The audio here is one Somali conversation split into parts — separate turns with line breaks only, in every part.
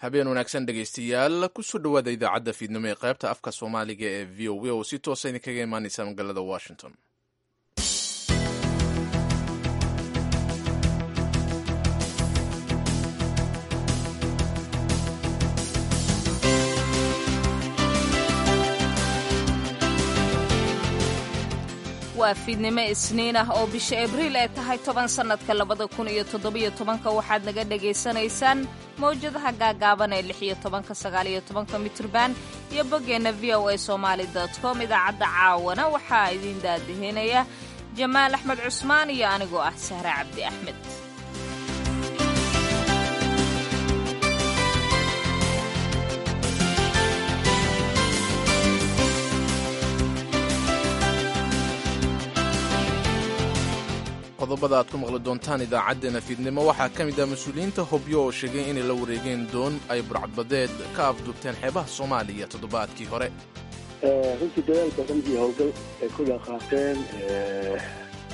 Habeen wanaagsan, dhegaystayaal. Kusoo dhowaada idaacadda fiidnimo ee qaybta afka Soomaaliga ee VOA oo si toosa idinkaga imaaneysa magaalada Washington.
Waa fiidnimo Isniin ah oo bisha Abriil ay tahay 10, sannadka 2017. Waxaad naga dhagaysanaysaan mawjadaha gaagaaban ee 16-ka, 19-ka mitrban iyo boggeenna voasomali.com. Idaacadda caawana waxaa idiin daadihinaya Jamaal Axmed Cusmaan iyo anigoo ah Sahre Cabdi Axmed.
Qodobada aad ku maqli doontaan idaacaddeenna fiidnimo waxaa ka mid ah mas-uuliyiinta Hobyo oo sheegay inay la wareegeen doon ay burcadbadeed ka afduubteen xeebaha Soomaaliya toddobaadkii hore.
Runtii dadaal badan iyo howlgal ay ku dhaqaaqeen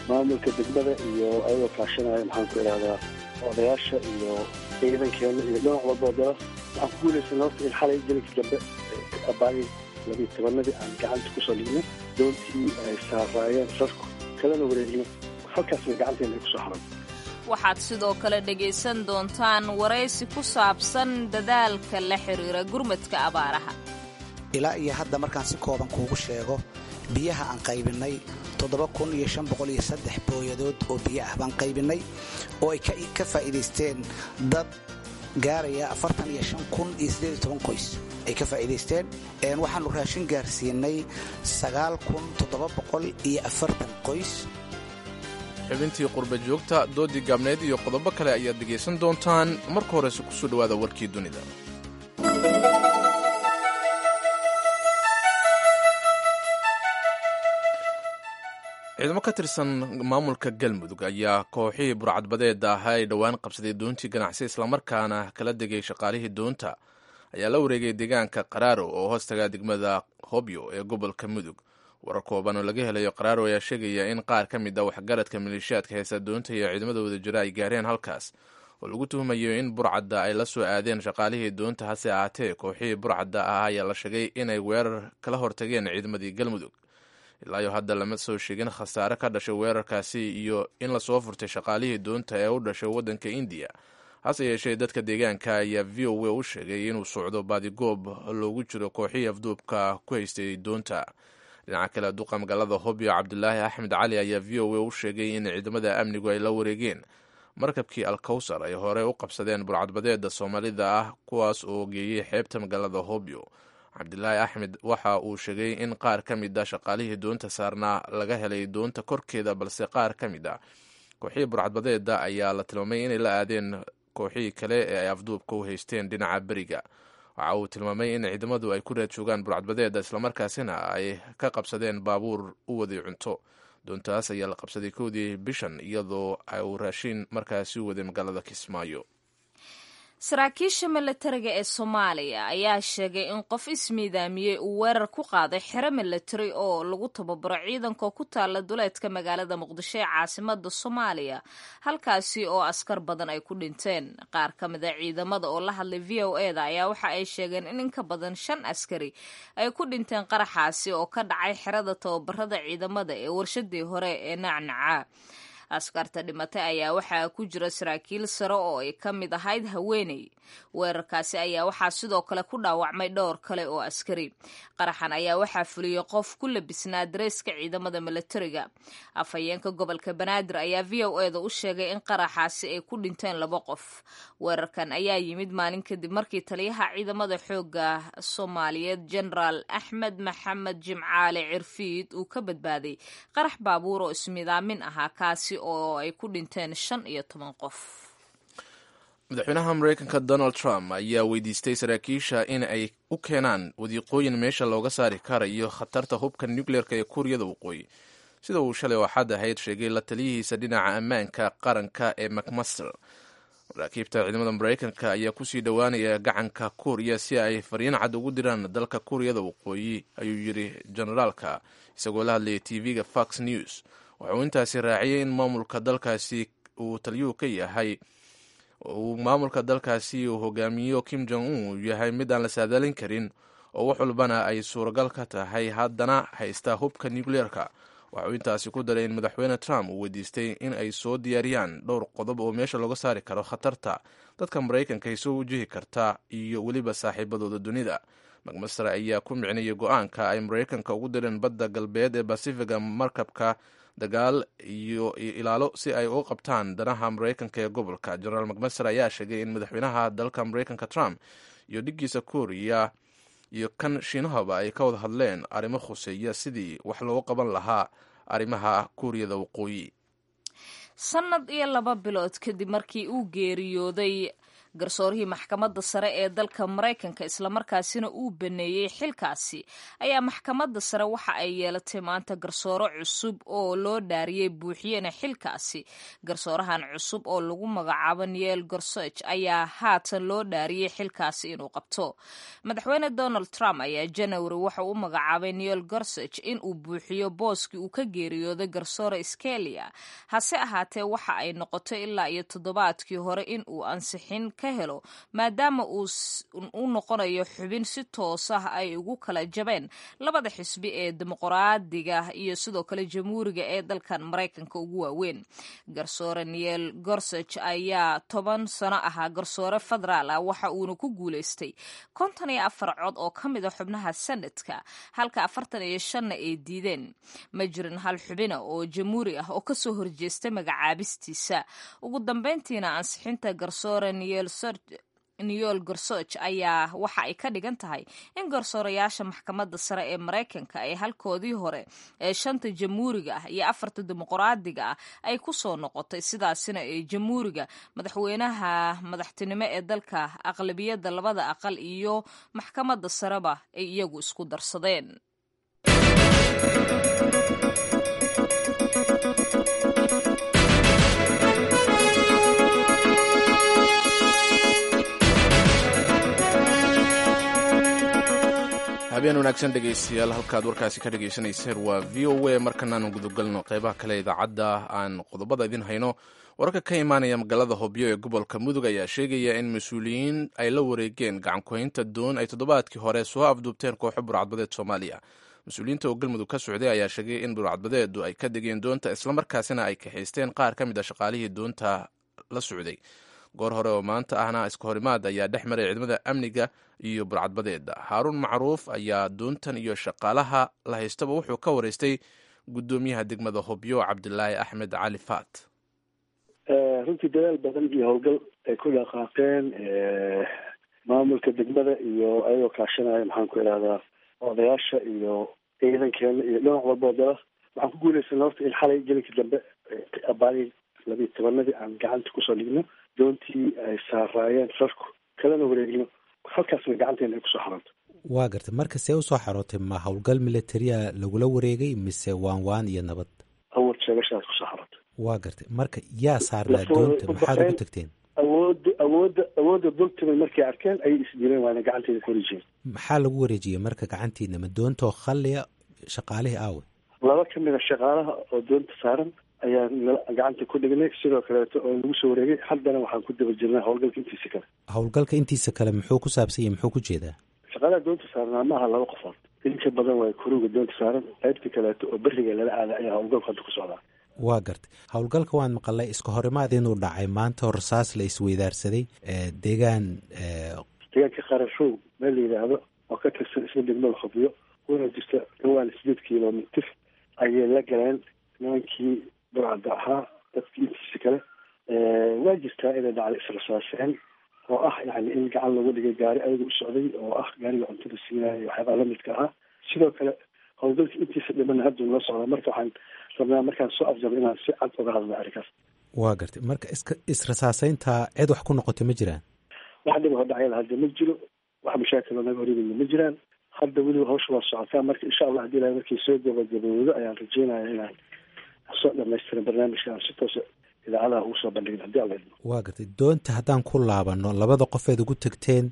maamulka degmada iyo ayagoo kaashanaya, maxaan ku idhahdaa, odayaasha iyo ciidankeena iyo dhinac walba dala, waxaan ku guulaysan horta in xalay jilinkii dambe abaari 12-adii aan gacanta kusoo dhignay doontii ay saaraayeen rarku, kalena wareegno.
Waxaad sidoo kale dhegaysan doontaan waraysi ku saabsan dadaalka la xiriira gurmadka abaaraha.
Ilaa iyo hadda markaan si kooban kuugu sheego, biyaha aan qaybinnay booyadood oo biyo ah baan qaybinnay oo ay ka faa'iidaysteen dad gaaraya qoys ay ka faa'iidaysteen. Waxaannu raashin gaarsiinay qoys.
Xubintii qurba joogta, doodii gaabneed iyo qodobo kale ayaad dhegaysan doontaan. Marka horese kusoo dhowaada warkii dunida. Ciidamo ka tirsan maamulka Galmudug ayaa kooxihii burcadbadeeda ahaa ay dhowaan qabsaday doontii ganacsi, islamarkaana kala degay shaqaalihii doonta, ayaa la wareegay deegaanka Qaraaro oo hoostaga degmada Hobyo ee gobolka Mudug. Warar kooban oo laga helayo Qaraaro ayaa sheegaya in qaar ka mid ah waxgaradka maleeshiyaadka heesa doonta iyo ciidamada wadajira ay gaareen halkaas oo lagu tuhumayo in burcadda ay la soo aadeen shaqaalihii doonta. Hase ahaatee, kooxihii burcadda ah ayaa la sheegay inay weerar kala hortageen ciidamadii Galmudug. Ilaayo hadda lama soo sheegin khasaare ka dhashay weerarkaasi iyo in lasoo furtay shaqaalihii doonta ee u dhashay waddanka Indiya. Hase yeeshee, dadka deegaanka ayaa VOA u sheegay inuu socdo baadigoob loogu jiro kooxihii afduubka ku haystay doonta. Dhinaca kale, duqa magaalada Hobyo Cabdulaahi Axmed Cali ayaa VOA u sheegay in ciidamada amnigu ay la wareegeen markabkii Alkowsar ay hore u qabsadeen burcadbadeeda Soomaalida ah, kuwaas oo geeyey xeebta magaalada Hobyo. Cabdilaahi Axmed waxa uu sheegay in qaar ka mid a shaqaalihii doonta saarnaa laga helay doonta korkeeda, balse qaar ka mid a kooxihii burcadbadeeda ayaa la tilmaamay inay la aadeen kooxihii kale ee ay afduubka u haysteen dhinaca beriga. Waxa uu tilmaamay in ciidamadu ay ku raad joogaan burcadbadeeda, islamarkaasina ay ka qabsadeen baabuur u waday cunto. Doontaas ayaa la qabsaday 1-dii bishan, iyadoo uu raashiin markaasi u waday magaalada Kismaayo.
Saraakiisha milatariga ee Soomaaliya ayaa sheegay in qof ismiidaamiyey uu weerar ku qaaday xero milatari oo lagu tababaro ciidanka ku taala duleedka magaalada Muqdisho ee caasimada Soomaaliya, halkaasi oo askar badan ay ku dhinteen. Qaar ka mid a ciidamada oo la hadlay VOA da ayaa waxa ay sheegeen in inka badan shan askari ay ku dhinteen qaraxaasi oo ka dhacay xerada tababarada ciidamada ee warshadii hore ee Nacnaca. Askarta dhimatay ayaa waxaa ku jira saraakiil sare oo ay ka mid ahayd haweeney. Weerarkaasi ayaa waxaa sidoo kale ku dhaawacmay dhowr kale oo askari. Qaraxan ayaa waxaa fuliyey qof ku labisnaa dareeska ciidamada milatariga. Afhayeenka gobolka Banaadir ayaa VOA da u sheegay in qaraxaasi ay ku dhinteen laba qof. Weerarkan ayaa yimid maalin kadib markii taliyaha ciidamada xooga Soomaaliyeed, Jenaraal Axmed Maxamed Jimcaale Cirfiid, uu ka badbaaday qarax baabuur oo ismidaamin ahaa, kaasi oo ay ku dhinteen 15 qof.
Madaxweynaha Mareykanka Donald Trump ayaa weydiistay saraakiisha in ay u keenaan wadiiqooyin meesha looga saari karayo khatarta hubka nucleerka ee Kuuriyada Waqooyi, sida uu shalay oo Axad ahayd sheegay la taliyihiisa dhinaca ammaanka qaranka ee McMaster. Maraakiibta ciidamada Mareykanka ayaa kusii dhowaanaya gacanka Kuuriya si ay fariin cad ugu diraan dalka Kuuriyada Waqooyi, ayuu yiri generaalka isagoo la hadlayay TV-ga Fox News. Waxa uu intaasi raaciyey in maamulka dalkaasi uu taliyuhu ka yahay Uu maamulka dalkaasi uu hogaamiyo Kim Jong Un uu yahay mid aan la saadaalin karin oo wax walbana ay suuragal ka tahay, haddana haysta hubka nucleerka. Waxa uu intaasi ku daray in Madaxweyne Trump uu weydiistay in ay soo diyaariyaan dhowr qodob oo meesha looga saari karo khatarta dadka Maraykanka ay soo wajihi karta iyo weliba saaxiibadooda dunida. McMaster ayaa ku micnayay go-aanka ay Maraykanka ugu direen badda galbeed ee Basifiga markabka dagaal iyo ilaalo si ay uga qabtaan danaha Maraykanka ee gobolka. Jenaraal McMaster ayaa sheegay in madaxweynaha dalka Maraykanka Trump iyo dhiggiisa Kuuriya iyo kan Shiinahaba ay ka wada hadleen arrimo khuseeya sidii wax loogu qaban lahaa arrimaha Kuuriyada Waqooyi.
Sanad iyo 2 bilood kadib markii uu geeriyooday garsoorihii Maxkamadda Sare ee dalka Maraykanka, islamarkaasina uu baneeyey xilkaasi, ayaa Maxkamadda Sare waxa ay yeelatay maanta garsoore cusub oo loo dhaariyey, buuxiyena xilkaasi. Garsoorahan cusub oo lagu magacaabo Neil Gorsuch ayaa haatan loo dhaariyey xilkaasi inuu qabto. Madaxweyne Donald Trump ayaa Janary waxa uu magacaabay Neil Gorsuch in uu buuxiyo booskii uu ka geeriyooday garsoore Scalia. Hase ahaatee, waxa ay noqotay ilaa iyo toddobaadkii hore in uu ansixin ka helo, maadaama uu u noqonayo xubin si toos ah ay ugu kala jabeen labada xisbi ee Dimuqraadiga iyo sidoo kale Jamhuuriga ee dalkan Maraykanka ugu waaweyn. Garsoore Neil Gorsuch ayaa 10 sano ahaa garsoore federaal ah, waxa uuna ku guuleystay 54 cod oo ka mid a xubnaha Senadka, halka 45-na ay diideen. Ma jirin hal xubina oo Jamhuuri ah oo kasoo horjeestay magacaabistiisa. Ugu dambeyntiina, ansixinta garsoore Neil Gorsuch ayaa waxa ay ka dhigan tahay in garsoorayaasha Maxkamadda Sare ee Maraykanka ay halkoodii hore ee shanta Jamhuuriga ah iyo afarta Dimuqraadiga ah ay ku soo noqotay, sidaasina ay Jamhuuriga madaxweynaha madaxtinimo ee dalka, aqlabiyadda labada aqal iyo Maxkamadda Sareba ay iyagu isku darsadeen.
Habeen wanaagsan, dhegaystayaal. Halkaad warkaasi ka dhegaysanayseen waa VOA. Markanaanu gudagalno qeybaha kale idaacadda aan qodobada idin hayno. Wararka ka imaanaya magaalada Hobyo ee gobolka Mudug ayaa sheegaya in mas-uuliyiin ay la wareegeen gacankuhaynta doon ay toddobaadkii hore soo afduubteen kooxo burcadbadeed Soomaaliya. Mas-uuliyiinta oo Galmudug ka socday ayaa sheegay in burcadbadeedu ay ka degeen doonta, islamarkaasina ay kaxaysteen qaar ka mid a shaqaalihii doonta la socday. Goor hore oo maanta ahna iska horimaad ayaa dhex maray ciidamada amniga iyo burcadbadeeda. Haaruun Macruuf ayaa doontan iyo shaqaalaha la haystaba wuxuu ka wareystay guddoomiyaha degmada Hobyo, Cabdilaahi Axmed Cali Faat.
Runtii dadaal badan iyo howlgal ay ku dhaqaaqeen maamulka degmada iyo ayagoo kaashanaya, maxaan ku idhahdaa, odayaasha iyo ciidankeena iyo dhinac walba oo dala, waxaan ku guulaysanay horta in xalay gelinkii dambe abaari 12-anadii aan gacanta kusoo dhigno doontii ay saaraayeen rarku, kalena wareegno, halkaasna gacanteena ay kusoo xarooto.
Waa gartay. Marka see usoo xarootay? Ma howlgal militaria lagula wareegay mise waan waan iyo nabad?
Awood sheegashaas kusoo xarootay.
Waa gartay. Marka yaa saarnaa doonta? Maxaad ugu tagteen?
Awoodda dultimay markay arkeen ayay isdileen, waana gacanteeda ku wareejiyeen.
Maxaa lagu wareejiyey marka gacantiina? Ma doontoo khalliya? Shaqaalihii aawe?
Laba ka mid a shaqaalaha oo doonta saaran ayaan gacanta ku dhignay, sidoo kaleeto oo lagu soo wareegay. Haddana waxaan ku daba jirnaa howlgalka intiisa kale.
Howlgalka intiisa kale muxuu ku saabsan yahay? Muxuu ku jeedaa?
Shaqaalaha doonta saarnaa maaha laba qofood, inka badan waay kuruga doonta saaran. Qaybta kaleeto oo beriga lala aada ayaa howlgalku hadda ku socdaa.
Waa gartay. Howlgalka waan maqalay iska horimaad inuu dhacay maanta oo rasaas la isweydaarsaday deegaan.
Deegaanka Qarashow meel la yidhaahdo oo ka tirsan isla degmada Hobyo, una jirta dhawaan 8 kilomitir, ayay la galeen nimankii burcadda ahaa dadkii intiisa kale. Waa jirtaa inay dhacday israsaaseen oo ah yani in gacan lagu dhigay gaari ayaga u socday oo ah gaariga cuntada siinaya, waxyaabaa lamidka ahaa. Sidoo kale howlgalka intiisa dhimana hadduu nala socdaa. Marka waxaan rabnaa markaan soo afjabo inaan si cad uga hadlo arrinkaas.
Waa gartay. Marka iska israsaaseynta cid wax ku noqotay ma jiraan?
Wax dhib oo dhacyada hadda ma jiro, wax mashaakil oo naga horyimidna ma jiraan. Hadda weliba hawsha waa socotaa. Marka insha Allah hadii Ilahay markii soo gabagabowdo ayaan rajeynaya inaan soo dhamaystiran barnaamijka aan si toosa idaacadaha ugu soo bandhigin, hadii Alla idmo.
Waa gartay. Doonta haddaan ku laabano, labada qofeed ugu tagteen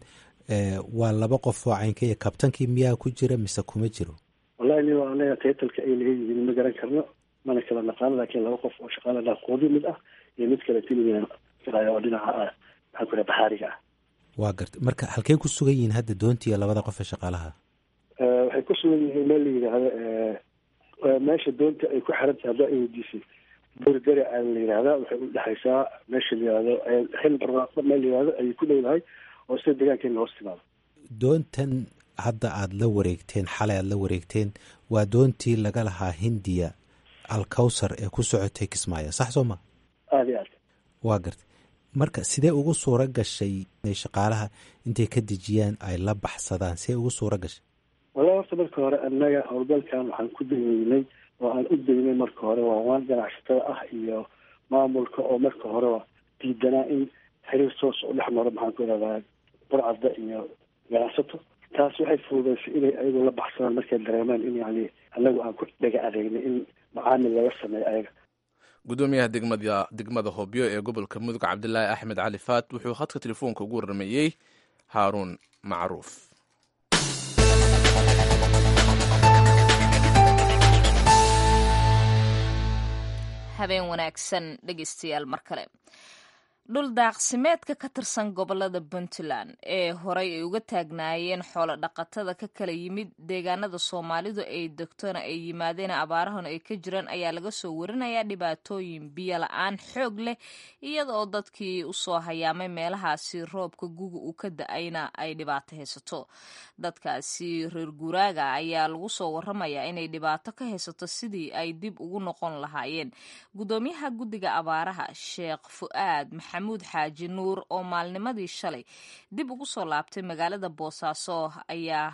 waa laba qof oo caynka iyo kabtankii miyaa ku jira mise kuma jiro?
Wallahi nin waa anaga taytalka ay laga yihiin ma garan karno, mana kala naqaano, laakiin laba qof oo shaqaala dhaqoodi mid ah iyo mid kale tiligan oo dhinaca ah Maxaan ku dhaha baxaariga ah.
Waa garta. Marka halkey ku sugan yihiin hadda doontii iyo labada qof ee shaqaalaha?
Waxay ku sugan yihiin meel la yidhaahdo, meesha doonta ay ku xiran tahay haddaa ay weydiisay, buurgari aa la yidhahdaa. Waxay u dhexaysaa meesha la yihahdo Xil Barwaaqo, meel la yihahdo ayay ku dhowdahay oo sida deegaankeena hoos timaado.
Doontan hadda aada la wareegteen, xalay aada la wareegteen, waa doontii laga lahaa Hindiya Alkawsar ee ku socotay Kismaayo, sax soo ma?
Aada iyo aad.
Waa gartay. Marka sidee ugu suura gashay inay shaqaalaha intay ka dejiyaan ay la baxsadaan? Sidee ugu suura gashay?
Wallahi horta marka hore annaga howlgalkan waxaan ku dayeynay oo aan u daynay marka hore waa waan ganacsatada ah iyo maamulka oo marka horeba diidanaa in xiriir toos u dhex maro, maxaan ku ihahdaa, burcadda iyo ganacsato. Taas waxay fududaysay inay ayagu la baxsadaan markay dareemaan in yani annagu aan ku dhaga adeegnay in macaamil laga sameeyo ayaga.
Gudoomiyaha degmada Hobyo ee gobolka Mudug, Cabdilaahi Axmed Cali Faat, wuxuu khadka telefoonka ugu warramayey Haaruun Macruuf.
Habeen wanaagsan dhegeystayaal mar kale. Dhul daaqsimeedka ka tirsan gobolada Puntland ee horey ay uga taagnaayeen xoolo dhaqatada ka kala yimid deegaanada Soomaalidu ay degtona ay yimaadeen abaarahan ay ka jiraan ayaa laga soo warinayaa dhibaatooyin biyo la-aan xoog leh, iyada oo dadkii usoo hayaamay meelahaasi roobka guga uu ka da-ayna ay dhibaato haysato. Dadkaasi reer guuraaga ayaa lagu soo waramayaa inay dhibaato ka haysato sidii ay dib ugu noqon lahaayeen. Gudoomiyaha guddiga abaaraha, Sheekh Fu'aad Maxamuud Xaaji Nuur, oo maalnimadii shalay dib ugu soo laabtay magaalada Boosaaso, ayaa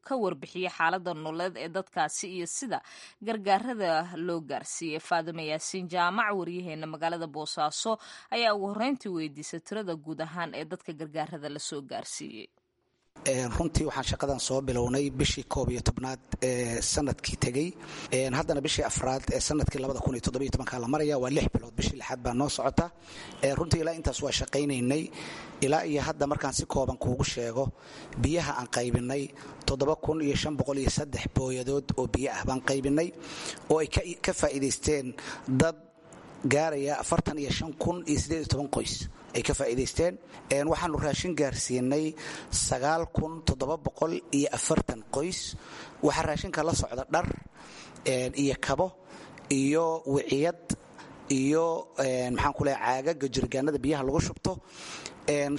ka warbixiyey xaalada nololeed ee dadkaasi iyo sida gargaarada loo gaarsiiyey. Faadima Yaasiin Jaamac, waryaheena magaalada Boosaaso, ayaa ugu horreyntii weydiisay tirada guud ahaan ee dadka gargaarada lasoo gaarsiiyey.
Runtii waxaan shaqadan soo bilownay bishii 11aad ee sanadkii tegey. Haddana bishii afraad ee sanadkii la maraya, waa 6 bilood, bishii lixaad baa noo socota. Runtii ilaa intaas waa shaqaynaynay. Ilaa iyo hadda markaan si kooban kuugu sheego, biyaha aan qaybinay 7503 booyadood oo biyo ah baan qaybinay, oo ay ka faa'iidaysteen dad gaaraya 45,018 qoys ay ka faa'iidaysteen. Waxaanu raashin gaarsiinay 9740 qoys. Waxaa raashinka la socda dhar iyo kabo iyo wiciyad iyo, maxaan ku leehay, caagaga jirgaanada biyaha lagu shubto.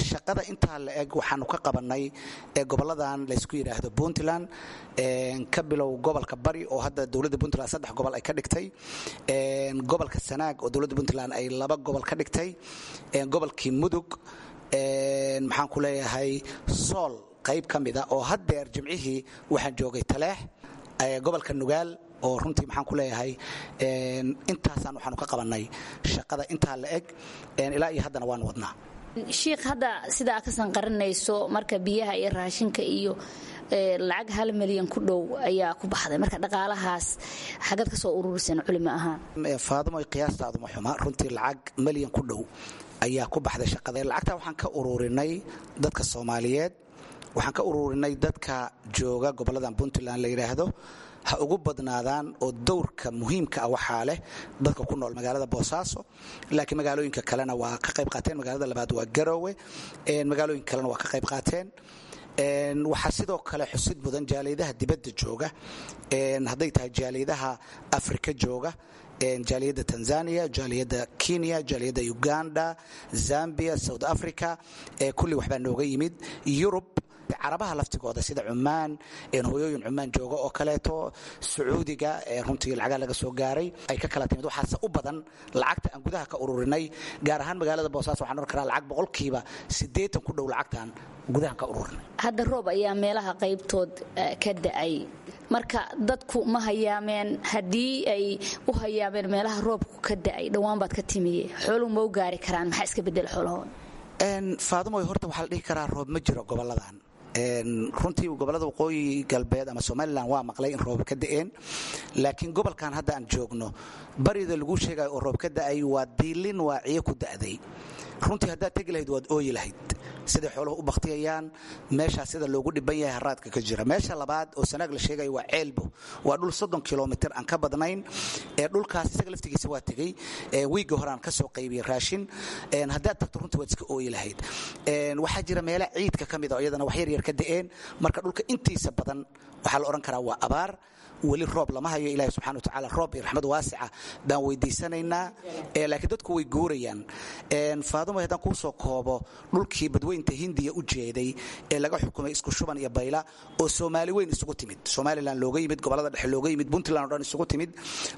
Shaqada intaa la eg waxaanu ka qabanay goboladan laysku yidhaahdo Puntland, ka bilow gobolka Bari oo hadda dowladda Puntland saddex gobol ay ka dhigtay, gobolka Sanaag oo dowladda Puntland ay laba gobol ka dhigtay, gobolkii Mudug, maxaan ku leeyahay, Sool qayb ka mida oo haddeer Jimcihii waxaan joogay Taleex, gobolka Nugaal, oo runtii, maxaan ku leeyahay, intaasaan waxaanu ka qabanay shaqada intaa la eg. Ilaa iyo haddana waanu wadnaa.
Shiikh, hadda sida aad ka sanqarinayso, marka biyaha iyo raashinka iyo lacag 1 milyan ku dhow ayaa ku baxday. Marka dhaqaalahaas xagad ka soo ururiseen culimo ahaan?
Faadimo, qiyaastaadu ma xuma. Runtii lacag milyan ku dhow ayaa ku baxday shaqada. Lacagtaa waxaan ka ururinay dadka Soomaaliyeed, waxaan ka ururinay dadka jooga goboladan Puntland la yidhaahdo ha ugu badnaadaan, oo dowrka muhiimka ah waxaa leh dadka ku nool magaalada Boosaaso, laakiin magaalooyinka kalena waa ka qayb qaateen. Magaalada labaad waa Garoowe, magaalooyinka kalena waa ka qayb qaateen. Waxaa sidoo kale xusid mudan jaaliyadaha dibadda jooga, hadday tahay jaaliyadaha Afrika jooga, jaaliyadda Tanzania, jaaliyadda Kenya, jaaliyadda Uganda, Zambia, South Africa, kulli waxbaa nooga yimid. Yurub, Carabaha laftigooda sida Cumaan, hooyooyin Cumaan jooga oo kaleeto, Sacuudiga, runtii lacagaa laga soo gaaray ay ka kala timid. Waxaase u badan lacagta aan gudaha ka ururinay, gaar ahaan magaalada Boosaaso. Waxaan oran karaa lacag 80% ku dhow lacagtaan gudahan ka ururinay.
Hadda roob ayaa meelaha qaybtood ka da'ay. Marka dadku ma hayaameen? Haddii ay u hayaameen meelaha roobku ka da'ay, dhowaan baad ka timiye, xooluhu ma u gaari karaan? Maxaa iska bedela xoolahooda?
Faadumoy, horta waxaa la dhihi karaa roob ma jiro goboladan. Runtii gobolada waqooyi galbeed ama Somalilan waa maqlay in roob ka da'een, laakiin gobolkan hadda aan joogno, barida lagu sheegayo oo roob ka da'ay waa diilin waaciyo ku da'day. Runtii haddaad tegi lahayd waad ooyi lahayd. Siday xooluhu u baktiyayaan meeshaas, sida loogu dhiban yahay haraadka ka jira. Meesha labaad oo Sanaag la sheegayo waa Ceelbo, waa dhul 30 kilomitir aan ka badnayn. Ee dhulkaas isaga laftigiisa waa tegey wiigga hore, aan ka soo qaybiyey raashin. Haddaad tagto, runtii waad iska ooyi lahayd. Waxaa jira meela ciidka ka mid a oo iyadana wax yar yar ka da'een. Marka dhulka intiisa badan waxaa la odhan karaa waa abaar, weli roob lama hayo. Ilahi subxana wa tacaala roob iyo raxmad waasica baan weydiisanaynaa, laakiin dadku way guurayaan. Faadumo, haddaan kuu soo koobo, dhulkii Badweynta Hindiya u jeeday ee laga xukumay Isku Shuban iyo Bayla, oo Soomaali weyn isugu timid, Somalilan looga yimid, gobolada dhexe looga yimid, Puntland o dhan isugu timid,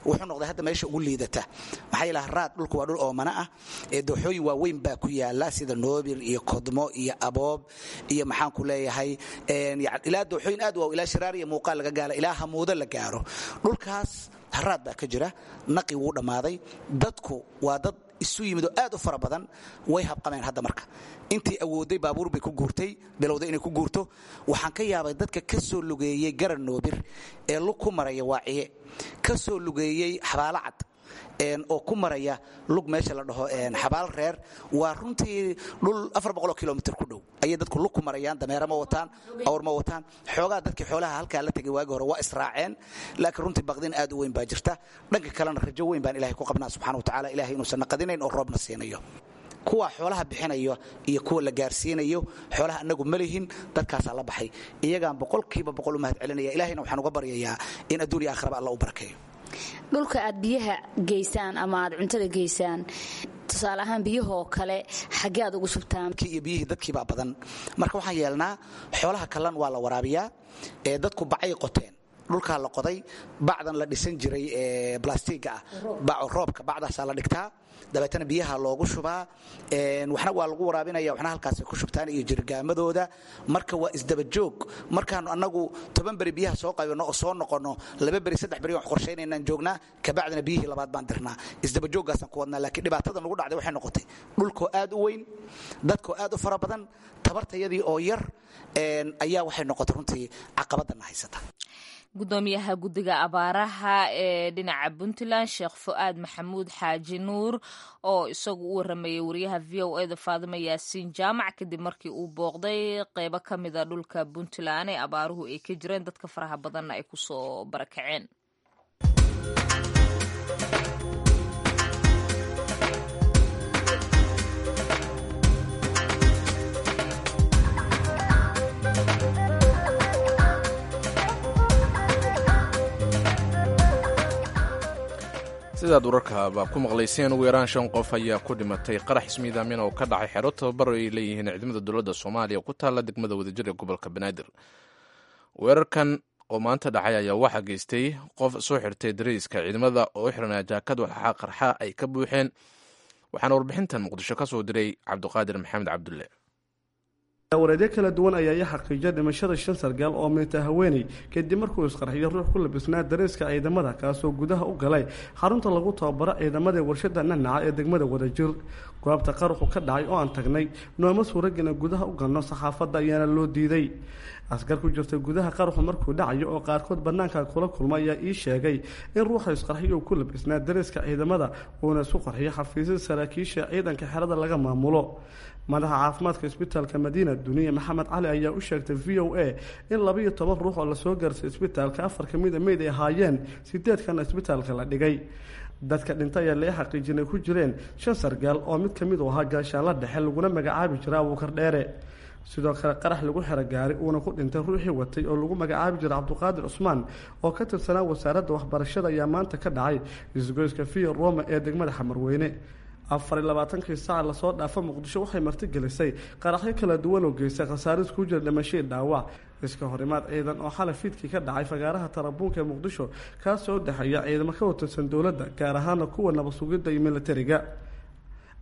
wuxuu noqday hadda meesha ugu liidata. Maxaa yeele haraad, dhulku waa dhul oomana ah ee dooxooyin waaweyn baa ku yaala, sida Noobir iyo Kodmo iyo Aboob iyo, maxaan ku leeyahay, ilaa dooxooyin aad waaw, ilaa Shiraar iyo Muuqaal laga gaalo, ilaa Hamuudo la gaaro. Dhulkaas haraad baa ka jira, naqi wuu dhammaaday. Dadku waa dad isu yimid oo aad u fara badan, way habqameen hadda. Marka intii awooday baabuur bay ku guurtay, bilowday inay ku guurto. Waxaan ka yaabay dadka ka soo lugeeyey Garan Noobir ee lug ku maraya Waaciye, ka soo lugeeyey Xabaalo Cad oo ku maraya lug meesha la dhaho Xabaal Reer. Waa runtii dhul 400 kilomitir ku dhow ayay dadku lug ku marayaan. Dameera ma wataan, awr ma wataan. Xoogaa dadkii xoolaha halkaa la tegay waagi hore waa israaceen, laakiin runtii baqdin aad u weyn baa jirta. Dhanka kalena rajo weyn baan Ilahay ku qabnaa subxana wa tacala, Ilahay inuusan naqadinayn oo roobna siinayo. Kuwa xoolaha bixinayo iyo kuwa la gaarsiinayo xoolaha anagu ma lihin, dadkaasaa la baxay. Iyagaan 100% u mahad celinaya. Ilahayna waxaan uga baryayaa in adduun iyo aakhiraba Alla u barakeeyo.
Dhulka aad biyaha geysaan ama aad cuntada geysaan, tusaale ahaan biyahoo kale, xaggee aad ugu shubtaan?
Iyo biyihii dadkiibaa badan. Marka waxaan yeelnaa, xoolaha kallan waa la waraabiyaa ee dadku bacay qoteen, dhulkaa la qoday, bacdan la dhisan jiray ee blastiga ah, roobka bacdaasaa la dhigtaa, dabeetana biyaha loogu shubaa. Waxna waa lagu waraabinaya, waxna halkaasay ku shubtaan iyo jirgaamadooda. Marka waa isdabajoog. Markaanu annagu 10 beri biyaha soo qaybano oo soo noqonno, 2 beri 3 beri wax qorsaynaynaan joognaa, kabacdina biyihii labaad baan dirnaa. Isdabajooggaasaan ku wadnaa. Laakiin dhibaatada nagu dhacday waxay noqotay dhulkoo aad u weyn, dadkoo aad u fara badan, tabartayadii oo yar ayaa waxay noqotay runtii caqabadana haysata.
Gudoomiyaha guddiga abaaraha ee dhinaca Puntland, Sheekh Fu'aad Maxamuud Xaaji Nuur, oo isagu u waramayay wariyaha VOA-da Faadimo Yaasiin Jaamac kadib markii uu booqday qeybo ka mida dhulka Puntland ee abaaruhu ay ka jireen, dadka faraha badanna ay kusoo barakaceen.
Sidaad wararkaaba ku maqlayseen, ugu yaraan shan qof ayaa ku dhimatay qarax ismiidaamin oo ka dhacay xero tababar ay leeyihiin ciidamada dowladda Soomaaliya ku taalla degmada Wadajir ee gobolka Banaadir. Weerarkan oo maanta dhacay ayaa waxaa geystay qof soo xirtay dariiska ciidamada oo u xiranaa jaakad walxaa qarxa ay ka buuxeen. Waxaana warbixintan Muqdisho ka soo diray Cabdiqaadir Maxamed Cabdulle.
Wareedyo kala duwan ayaa i xaqiijiyay dhimashada shan sargaal oo minta haweeney, kadib markuu isqarxiyo ruux ku labisnaa dareeska ciidamada, kaasoo gudaha u galay xarunta lagu tababaro ciidamada Warshada Nanaca ee degmada Wadajir. Goobta qaruxu ka dhacay oo aan tagnay nooma suuragina gudaha u galno, saxaafadda ayaana loo diiday. Askar ku jirta gudaha qaruxu markuu dhacayo oo qaarkood bannaanka kula kulma ayaa ii sheegay in ruuxa isqarxiyo uu ku labisnaa dareeska ciidamada, uuna isu qarxiyo xafiisyada saraakiisha ciidanka xerada laga maamulo. Madaxa caafimaadka Isbitaalka Madiina, Duniye Maxamed Cali, ayaa u sheegtay VOA in 12 ruux oo lasoo gaarsay isbitaalka, afar ka mida meyd ay ahaayeen, sideedkana isbitaalka la dhigay. Dadka dhintay ayaa laga xaqiijinay ku jireen shan sargaal oo mid ka mid u ahaa gaashaanla dhexe, laguna magacaabi jira Abuukar Dheere. Sidoo kale qarax lagu xero gaari uuna ku dhintay ruuxii watay oo lagu magacaabi jiray Cabduqaadir Cusmaan oo ka tirsanaa Wasaaradda Waxbarashada ayaa maanta ka dhacay isgoyska Via Roma ee degmada Xamarweyne. 24-kii saaca lasoo dhaafa, Muqdisho waxay martigelisay qaraxyo kala duwan oo geystay khasaaris ku jira dhimashadii dhaawac. Iska horimaad ciidan oo xalay fiidkii ka dhacay fagaaraha Tarabuunka ee Muqdisho, kaasoo u dhexeeya ciidamo ka watirsan dowladda, gaar ahaana kuwa nabad sugidda iyo militariga.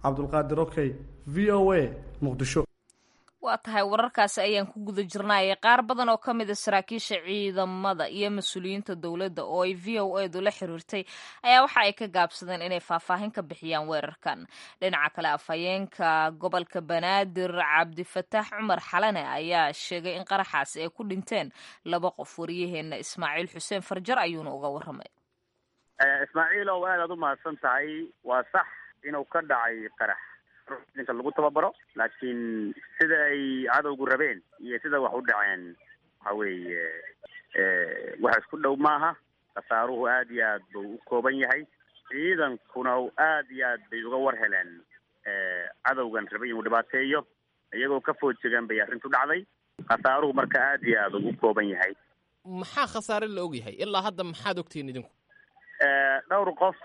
Cabdulqaadir Okey, VOA, Muqdisho.
Waa tahay, wararkaasi ayaan ku guda jirnaaye. Qaar badan oo ka mid a saraakiisha ciidamada iyo mas-uuliyiinta dowladda oo ay VOA-du la xiriirtay ayaa waxa ay ka gaabsadeen inay faahfaahin ka bixiyaan weerarkan. Dhinaca kale, afhayeenka gobolka Banaadir, Cabdifataax Cumar Xalane, ayaa sheegay in qaraxaasi ay ku dhinteen laba qof. Waryaheena Ismaaciil Xuseen Farjar ayuuna uga waramay.
Ismaaciilow, aad aad u mahadsan tahay. Waa sax inuu ka dhacay qarax. Ciidanka lagu tababaro, laakiin sida ay cadowgu rabeen iyo sida wax u dhaceen waxa weeye wax isku dhow maaha. Khasaaruhu aad iyo aad buu u kooban yahay, ciidankuna aad iyo aad bay uga war heleen cadowgan rabay inuu dhibaateeyo, iyagoo ka foodjegan bay arrintu dhacday. Khasaaruhu marka aad iyo aad ugu kooban yahay.
Maxaa khasaare la og yahay ilaa hadda? Maxaad ogtihiin idinku?
Dhowr qof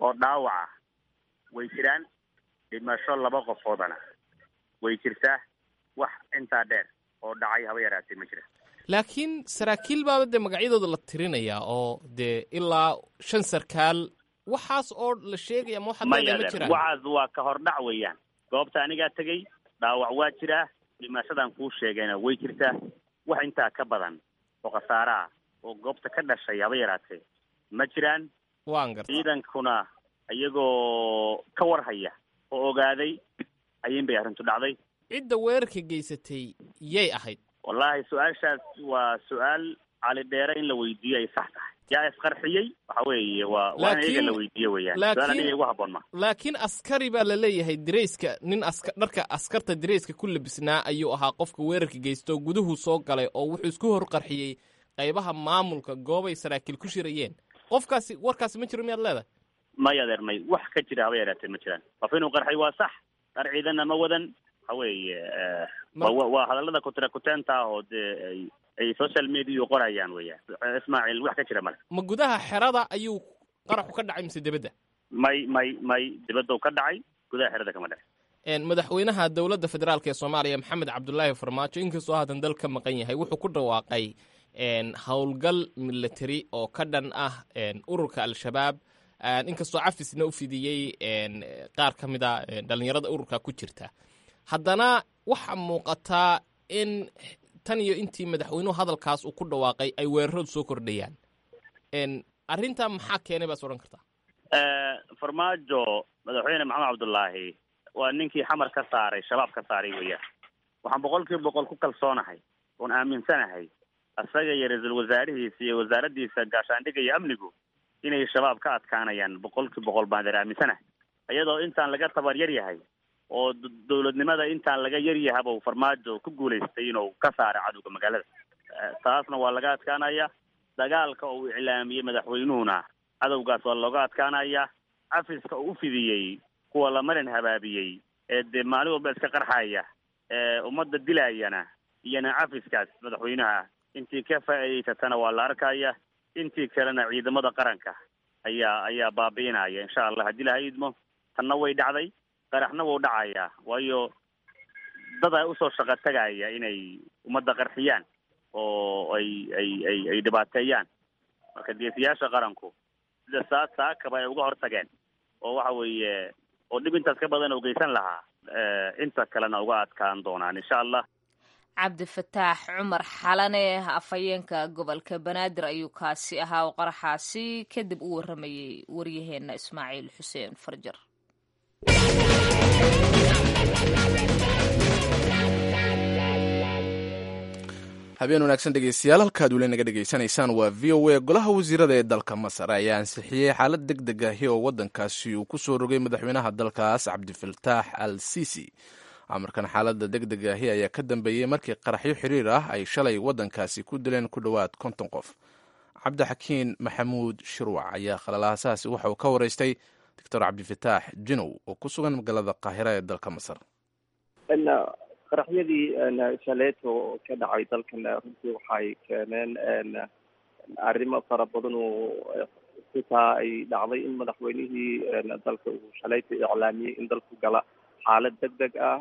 oo dhaawaca way jiraan, dhimasho 2 qofoodana way jirtaa. Wax intaa dheer oo dhacay haba yaraatee ma jira.
Laakiin saraakiil baaba dee magacyadooda la tirinayaa oo dee ilaa 5 sarkaal waxaas oo la sheegaya, ma waxaad leedahay ma jiraan?
Waxaas waa ka hordhac weeyaan. Goobta anigaa tegey, dhaawac waa jiraa, dhimashadan kuu sheegayna way jirtaa. Wax intaa ka badan oo khasaaraha oo goobta ka dhashay haba yaraatee ma jiraan.
Waan garta.
Ciidankuna iyagoo ka warhaya oo ogaaday ayin bay arrintu dhacday.
Cidda weerarka geysatay yay ahayd?
Wallaahi su-aashaas waa su-aal Cali Dheere in la weydiiyo ay sax tahay. Yaa isqarxiyey waxa weeye waa in iyaga la weydiiyo weeyaan, su-aal aniga igu habboon ma.
Laakiin askari baa la leeyahay, dirayska nin dharka askarta dirayska ku labisnaa ayuu ahaa qofka weerarka geysto. Guduhu soo galay oo wuxuu isku hor qarxiyey qaybaha maamulka goobay saraakiil ku shirayeen. Qofkaasi warkaasi ma jiro miyaad leedahay?
May adeer, may, wax ka jira haba yaraatee ma jiraan. Qof inuu qarxay waa sax, dhar ciidanna ma wadan. Waxa weeye waa hadallada kutirakuteenta ah oo dee ay social mediau qorayaan weeyaan, Ismaaciil, wax ka jira male.
Ma gudaha xerada ayuu qaraxu ka dhacay mise dibadda?
May may may, dibadda ka dhacay, gudaha xerada kama dhacay.
Madaxweynaha dowladda federaalka ee Soomaaliya Maxamed Cabdulaahi Farmaajo, inkastoo haatan dal ka maqan yahay, wuxuu ku dhawaaqay howlgal military oo ka dhan ah ururka Al-Shabaab, inkastoo cafisna u fidiyey qaar ka mid a dhalinyarada ururka ku jirta. Haddana waxaa muuqataa in tan iyo intii madaxweynuhu hadalkaas uu ku dhawaaqay ay weeraradu soo kordhayaan. Arrintaa maxaa keenay baas odhan kartaa?
Farmaajo, madaxweyne Maxamed Cabdulaahi, waa ninkii Xamar ka saaray Shabaab ka saaray weeyaan. Waxaan 100% ku kalsoonahay oon aaminsanahay asaga iyo ra-iisul wasaarihiisa iyo wasaaraddiisa gaashaandhigga iyo amnigu inay Shabaab ka adkaanayaan. 100% baan deer aaminsanahay, iyadoo intaan laga tabar yar yahay oo dowladnimada intaan laga yar yahabuu Farmaajo ku guulaystay inuu ka saaro cadowga magaalada. Taasna waa laga adkaanaya. Dagaalka uu iclaamiyey madaxweynuhuna cadowgaas waa looga adkaanaya. Cafiska uu u fidiyey kuwa la marin habaabiyey ee dee maalin walba iska qarxaya ee ummadda dilayana, iyana cafiskaas madaxweynaha intii ka faa'iidaysatana waa la arkaya, intii kalena ciidamada qaranka ayaa baabi'inaya insha Allah haddii laha idmo. Tanna way dhacday, qaraxna wuu dhacayaa, waayo dad ay usoo shaqo tagaya inay ummadda qarxiyaan oo ay ay ay ay dhibaateeyaan. Marka geesiyaasha qaranku sida saakaba ay uga hortageen oo waxa weeye oo dhib intaas ka badan oo geysan lahaa, inta kalena uga adkaan doonaan insha Allah.
Cabdifataax Cumar Xalane, afhayeenka gobolka Banaadir ayuu kaasi ahaa oo qaraxaasi kadib u waramayey waryaheena Ismaaciil Xuseen Farjar.
Habeen wanaagsan dhegeystayaal, halkaad weli naga dhegeysanaysaan waa VOA. Golaha wasiirada ee dalka Masar ayaa ansixiyey xaalad deg deg ahi oo waddankaasi uu ku soo rogay madaxweynaha dalkaas Cabdifataax Al Sisi. Amarkan xaaladda deg deg ahi ayaa ka dambeeyey markii qaraxyo xiriir ah ay shalay waddankaasi ku dileen ku dhowaad 50 qof. Cabdixakiin Maxamuud Shirwac ayaa khalalaasahaasi waxa uu ka waraystay Doctor Cabdifataax Jinow oo ku sugan magaalada Qaahira ee dalka Masar.
Qaraxyadii shaleeto ka dhacay dalkan runtii waxay keeneen arrimo fara badan oo xitaa ay dhacday in madaxweynihii dalka uu shalayta iclaamiyey in dalku gala xaalad deg deg ah,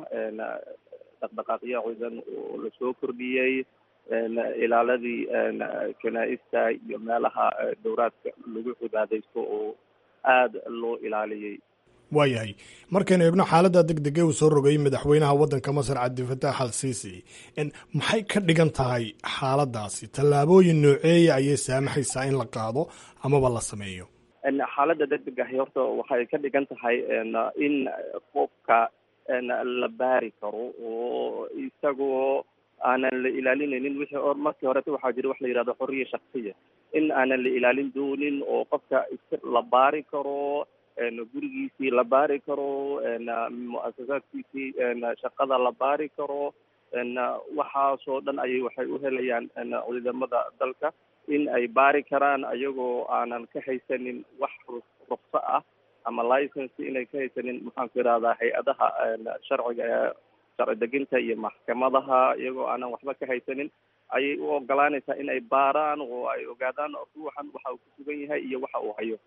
dhaqdhaqaaqyo ciidan oo lasoo kordhiyey, ilaaladii kanaa-ista iyo meelaha dowraadka lagu cibaadaysto oo aada loo ilaaliyey.
Waayahay, markaynu eegno xaaladda deg dege uu soo rogay madaxweynaha waddanka Masar Cabdifataax Al Siisi, maxay ka dhigan tahay xaaladdaasi? Tallaabooyin nooceeya ayay saamaxaysaa in la qaado amaba la sameeyo?
Xaaladda deg deg ahi horta waxay ka dhigan tahay in qofka la baari karo oo isagoo aanan la ilaalinaynin wixii or markii horeta waxaa jira wax la yihahdo xorriya shaksiya, in aanan la ilaalin doonin oo qofka la baari karo, Gurigiisii la baari karo, mu-asasaadkiisii shaqada la baari karo. Waxaasoo dhan ayay waxay u helayaan ciidamada dalka in ay baari karaan, ayagoo aanan ka haysanin wax ruqso ah ama license inay ka haysanin, maxaan ku ihahdaa, hay-adaha sharciga ee sharci deginta iyo maxkamadaha. Iyagoo aanan waxba ka haysanin ayay u ogolaanaysaa in ay baaraan oo ay ogaadaan ruuxan waxa uu ku sugan yahay iyo waxa uu hayo.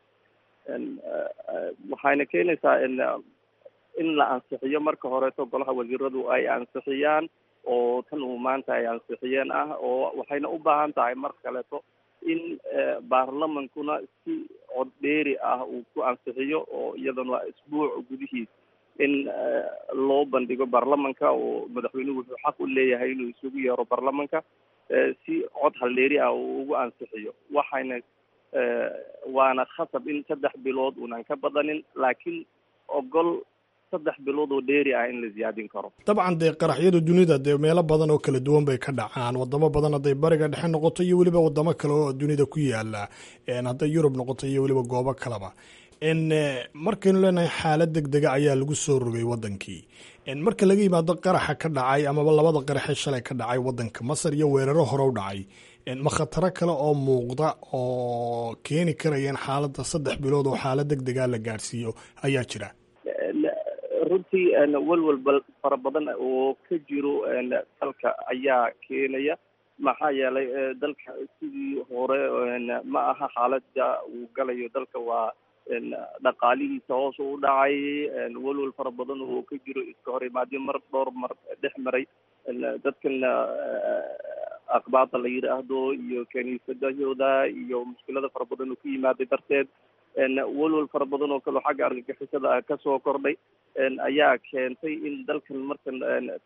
Waxayna keenaysaa in la ansixiyo marka horeeto, golaha wasiiradu ay ansixiyaan, oo tan uu maanta ay ansixiyeen ah, oo waxayna u baahan tahay mar kaleeto in baarlamankuna si cod dheeri ah uu ku ansixiyo, oo iyadana isbuuc gudihiis in loo bandhigo baarlamanka, oo madaxweynuhu wuxuu xaq u leeyahay inuu isugu yeero baarlamanka si cod haldheeri ah uu ugu ansixiyo. Waxayna waana khasab in 3 bilood uunan ka badanin, laakiin ogol 3 bilood oo dheeri ah in la ziyaadin karo.
Dabcan dee qaraxyada dunida dee meelo badan oo kala duwan bay ka dhacaan, wadamo badan hadday Bariga Dhexe noqoto iyo weliba wadamo kale oo dunida ku yaala, hadday Yurub noqoto iyo weliba goobo kaleba. Markaynu leenahay xaalad deg dega ayaa lagu soo rogay wadankii, marka laga yimaado qaraxa ka dhacay amaba labada qaraxee shalay ka dhacay wadanka Masar iyo weeraro hore u dhacay, ma khataro kale oo muuqda oo keeni karaya in xaaladda 3 bilood oo xaalad deg dega la gaadhsiiyo ayaa jira?
Runtii walwal fara badan oo ka jiro dalka ayaa keenaya, maxaa yeelay dalka sidii hore ma aha. Xaaladda uu galayo dalka waa dhaqaalihiisa hoos u dhacay, walwal fara badan oo ka jiro, iska hor imaadyo mar dhowr mar dhex maray dadkan aqbaada la yidhaahdo iyo kaniisadahooda iyo mushkilada fara badan oo ku yimaaday darteed, walwal fara badan oo kaleo xagga argagixisada ah kasoo kordhay ayaa keentay in dalkan markan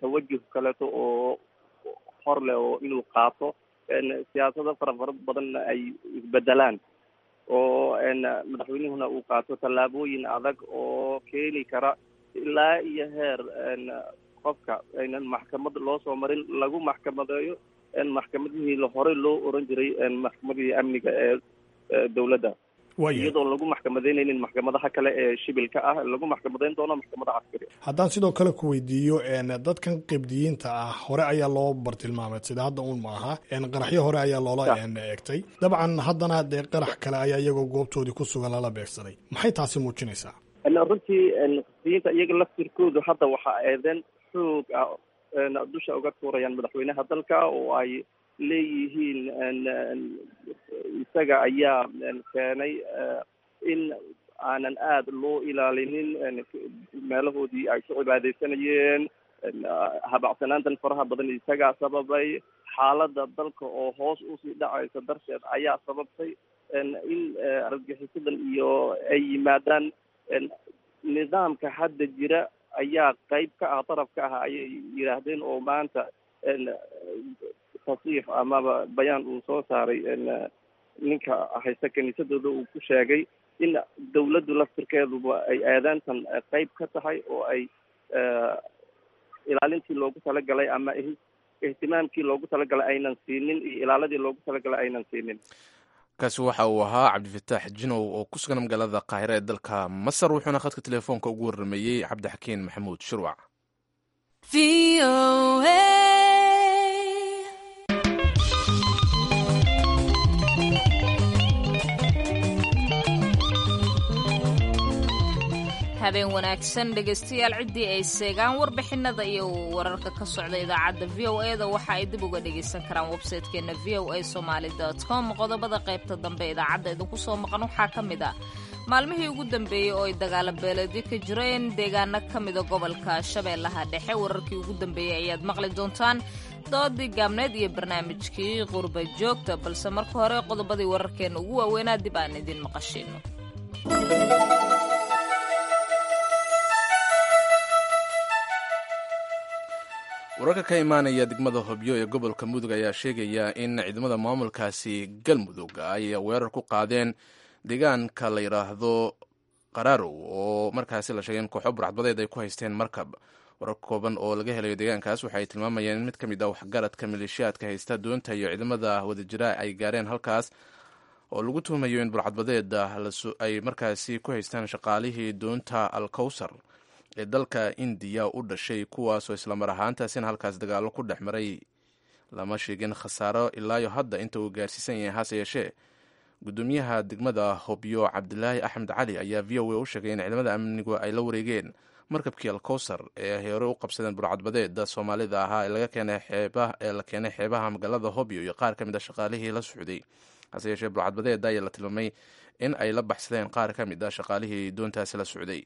tawajuh kaleeto oo hor leh oo inuu qaato, siyaasado fara badanna ay isbedelaan, oo madaxweynuhuna uu qaato tallaabooyin adag oo keeni kara ilaa iyo heer qofka aynan maxkamad loo soo marin lagu maxkamadeeyo maxkamadihii horey loo oran jiray maxkamadihii amniga ee dowladda, iyadoo lagu maxkamadeynaynin maxkamadaha kale ee shibilka ah, lagu maxkamadeyn doono maxkamadaha caskari.
Haddaan sidoo kale ku weydiiyo, dadkan Qibdiyiinta ah hore ayaa loo bartilmaamay, sida hadda uun maaha, qaraxyo hore ayaa loola eegtay. Dabcan haddana dee qarax kale ayaa iyagoo goobtoodii ku sugan lala beegsaday. Maxay taasi muujinaysaa?
Runtii Qibdiyiinta iyaga laftirkoodu hadda waxaa eedeen xoog ah dusha uga tuurayaan madaxweynaha dalka, oo ay leeyihiin isaga ayaa keenay in aanan aada loo ilaalinin meelahoodii ay ku cibaadaysanayeen. Habacsanaantan faraha badan isagaa sababay, xaaladda dalka oo hoos usii dhacaysa darteed ayaa sababtay in argagixisadan iyo ay yimaadaan. Nidaamka hadda jira ayaa qayb ka ah, daraf ka ah, ayay yidhaahdeen, oo maanta tasiix amaba bayaan uu soo saaray ninka haysta kiniisadooda uu ku sheegay in dawladdu laftirkeeduba ay aadaantan qayb ka tahay, oo ay ilaalintii loogu talagalay ama ihtimaamkii loogu talagalay aynan siinin iyo ilaaladii loogu talagalay aynan siinin.
Kaasi waxa uu ahaa Cabdifataax Jinow oo ku sugan magaalada Qaahira ee dalka Masar, wuxuuna khadka telefoonka ugu warrameeyey Cabdixakiin Maxamuud Shirwac.
Habeen wanaagsan dhegaystayaal. Ciddii ay seegaan warbixinada iyo wararka ka socda idaacadda VOA da waxa ay dib uga dhegaysan karaan websaytekeena voasomali.com. Qodobada qaybta dambe idaacadda idinku soo maqan waxaa ka mid ah maalmihii ugu dambeeyey oo ay dagaalo beeleedyo ka jireen deegaano ka mida gobolka Shabeellaha Dhexe. Wararkii ugu dambeeyey ayaad maqli doontaan, doodii gaabneed iyo barnaamijkii qurba joogta, balse marka hore qodobadii wararkeena ugu waaweynaa dib aan idin maqashiino.
Wararka ka imaanaya degmada Hobyo ee gobolka Mudug ayaa sheegaya in ciidamada maamulkaasi Galmudug ay weerar ku qaadeen deegaanka la yidhaahdo Qaraarow, oo markaasi la sheegay in kooxo burcadbadeed ay ku haysteen markab. Warar kooban oo laga helayo deegaankaas waxay tilmaamayeen in mid ka mid ah waxgaradka maleeshiyaadka haysta doonta iyo ciidamada wadajira ay gaareen halkaas. oo lagu tuhumayo in burcadbadeeda ay markaasi ku haystaan shaqaalihii doonta Alkowsar ee dalka Indiya u dhashay, kuwaasoo islamar ahaantaasina halkaas dagaallo ku dhex maray. Lama sheegin khasaaro ilaayo hadda inta uu gaarsiisan yahay, hase yeeshee gudoomiyaha degmada Hobyo Cabdilaahi Axmed Cali ayaa VOA u sheegay in ciidamada amnigu ay la wareegeen markabkii Alkowsar ee ay hore u qabsadeen burcadbadeeda Soomaalida ahaa ee la keenay xeebaha magaalada Hobyo iyo qaar ka mid a shaqaalihii la socday. Hase yeeshee burcadbadeeda ayaa la tilmaamay in ay la baxsadeen qaar ka mid a shaqaalihii doontaasi la socday.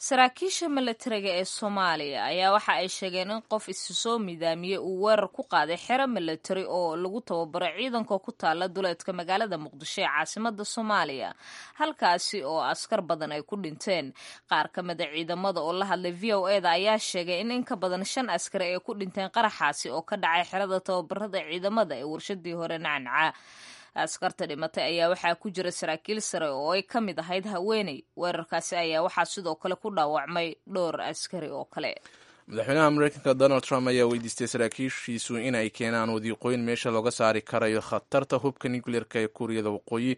Saraakiisha milatariga ee Soomaaliya ayaa waxa ay sheegeen in qof isu soo midaamiyey uu weerar ku qaaday xero milatari oo lagu tababaro ciidanka ku taala duleedka magaalada Muqdisho ee caasimada Soomaaliya, halkaasi oo askar badan ay ku dhinteen. Qaar ka mida ciidamada oo la hadlay VOA da ayaa sheegay in in ka badan 5 askari ay ku dhinteen qaraxaasi oo ka dhacay xerada tababarada ciidamada ee warshadii hore Nacnaca. Askarta dhimatay ayaa waxaa ku jira saraakiil sare oo ay ka mid ahayd haweeney. Weerarkaasi ayaa waxaa sidoo kale ku dhaawacmay dhowr askari oo kale.
Madaxweynaha Mareykanka Donald Trump ayaa weydiistay saraakiishiisu in ay keenaan wadiiqooyin meesha looga saari karayo khatarta hubka nucleerka ee Kuuriyada Waqooyi,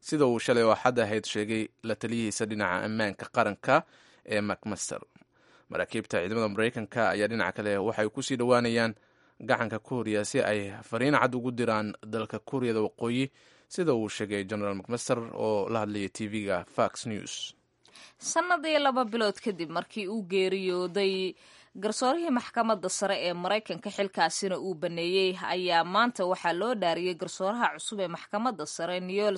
sida uu shalay oo Axad ahayd sheegay la taliyihiisa dhinaca ammaanka qaranka ee MacMaster. Maraakiibta ciidamada Mareykanka ayaa dhinaca kale waxay kusii dhowaanayaan gacanka Kuuriya si ay fariin cad ugu diraan dalka Kuuriyada Waqooyi, sida uu sheegay General McMaster oo la hadlayay TV-ga Fox News.
Sannadii 2 bilood kadib markii uu geeriyooday garsoorihii maxkamadda sare ee Maraykanka, xilkaasina uu baneeyey, ayaa maanta waxaa loo dhaariyey garsooraha cusub ee maxkamadda sare, Neil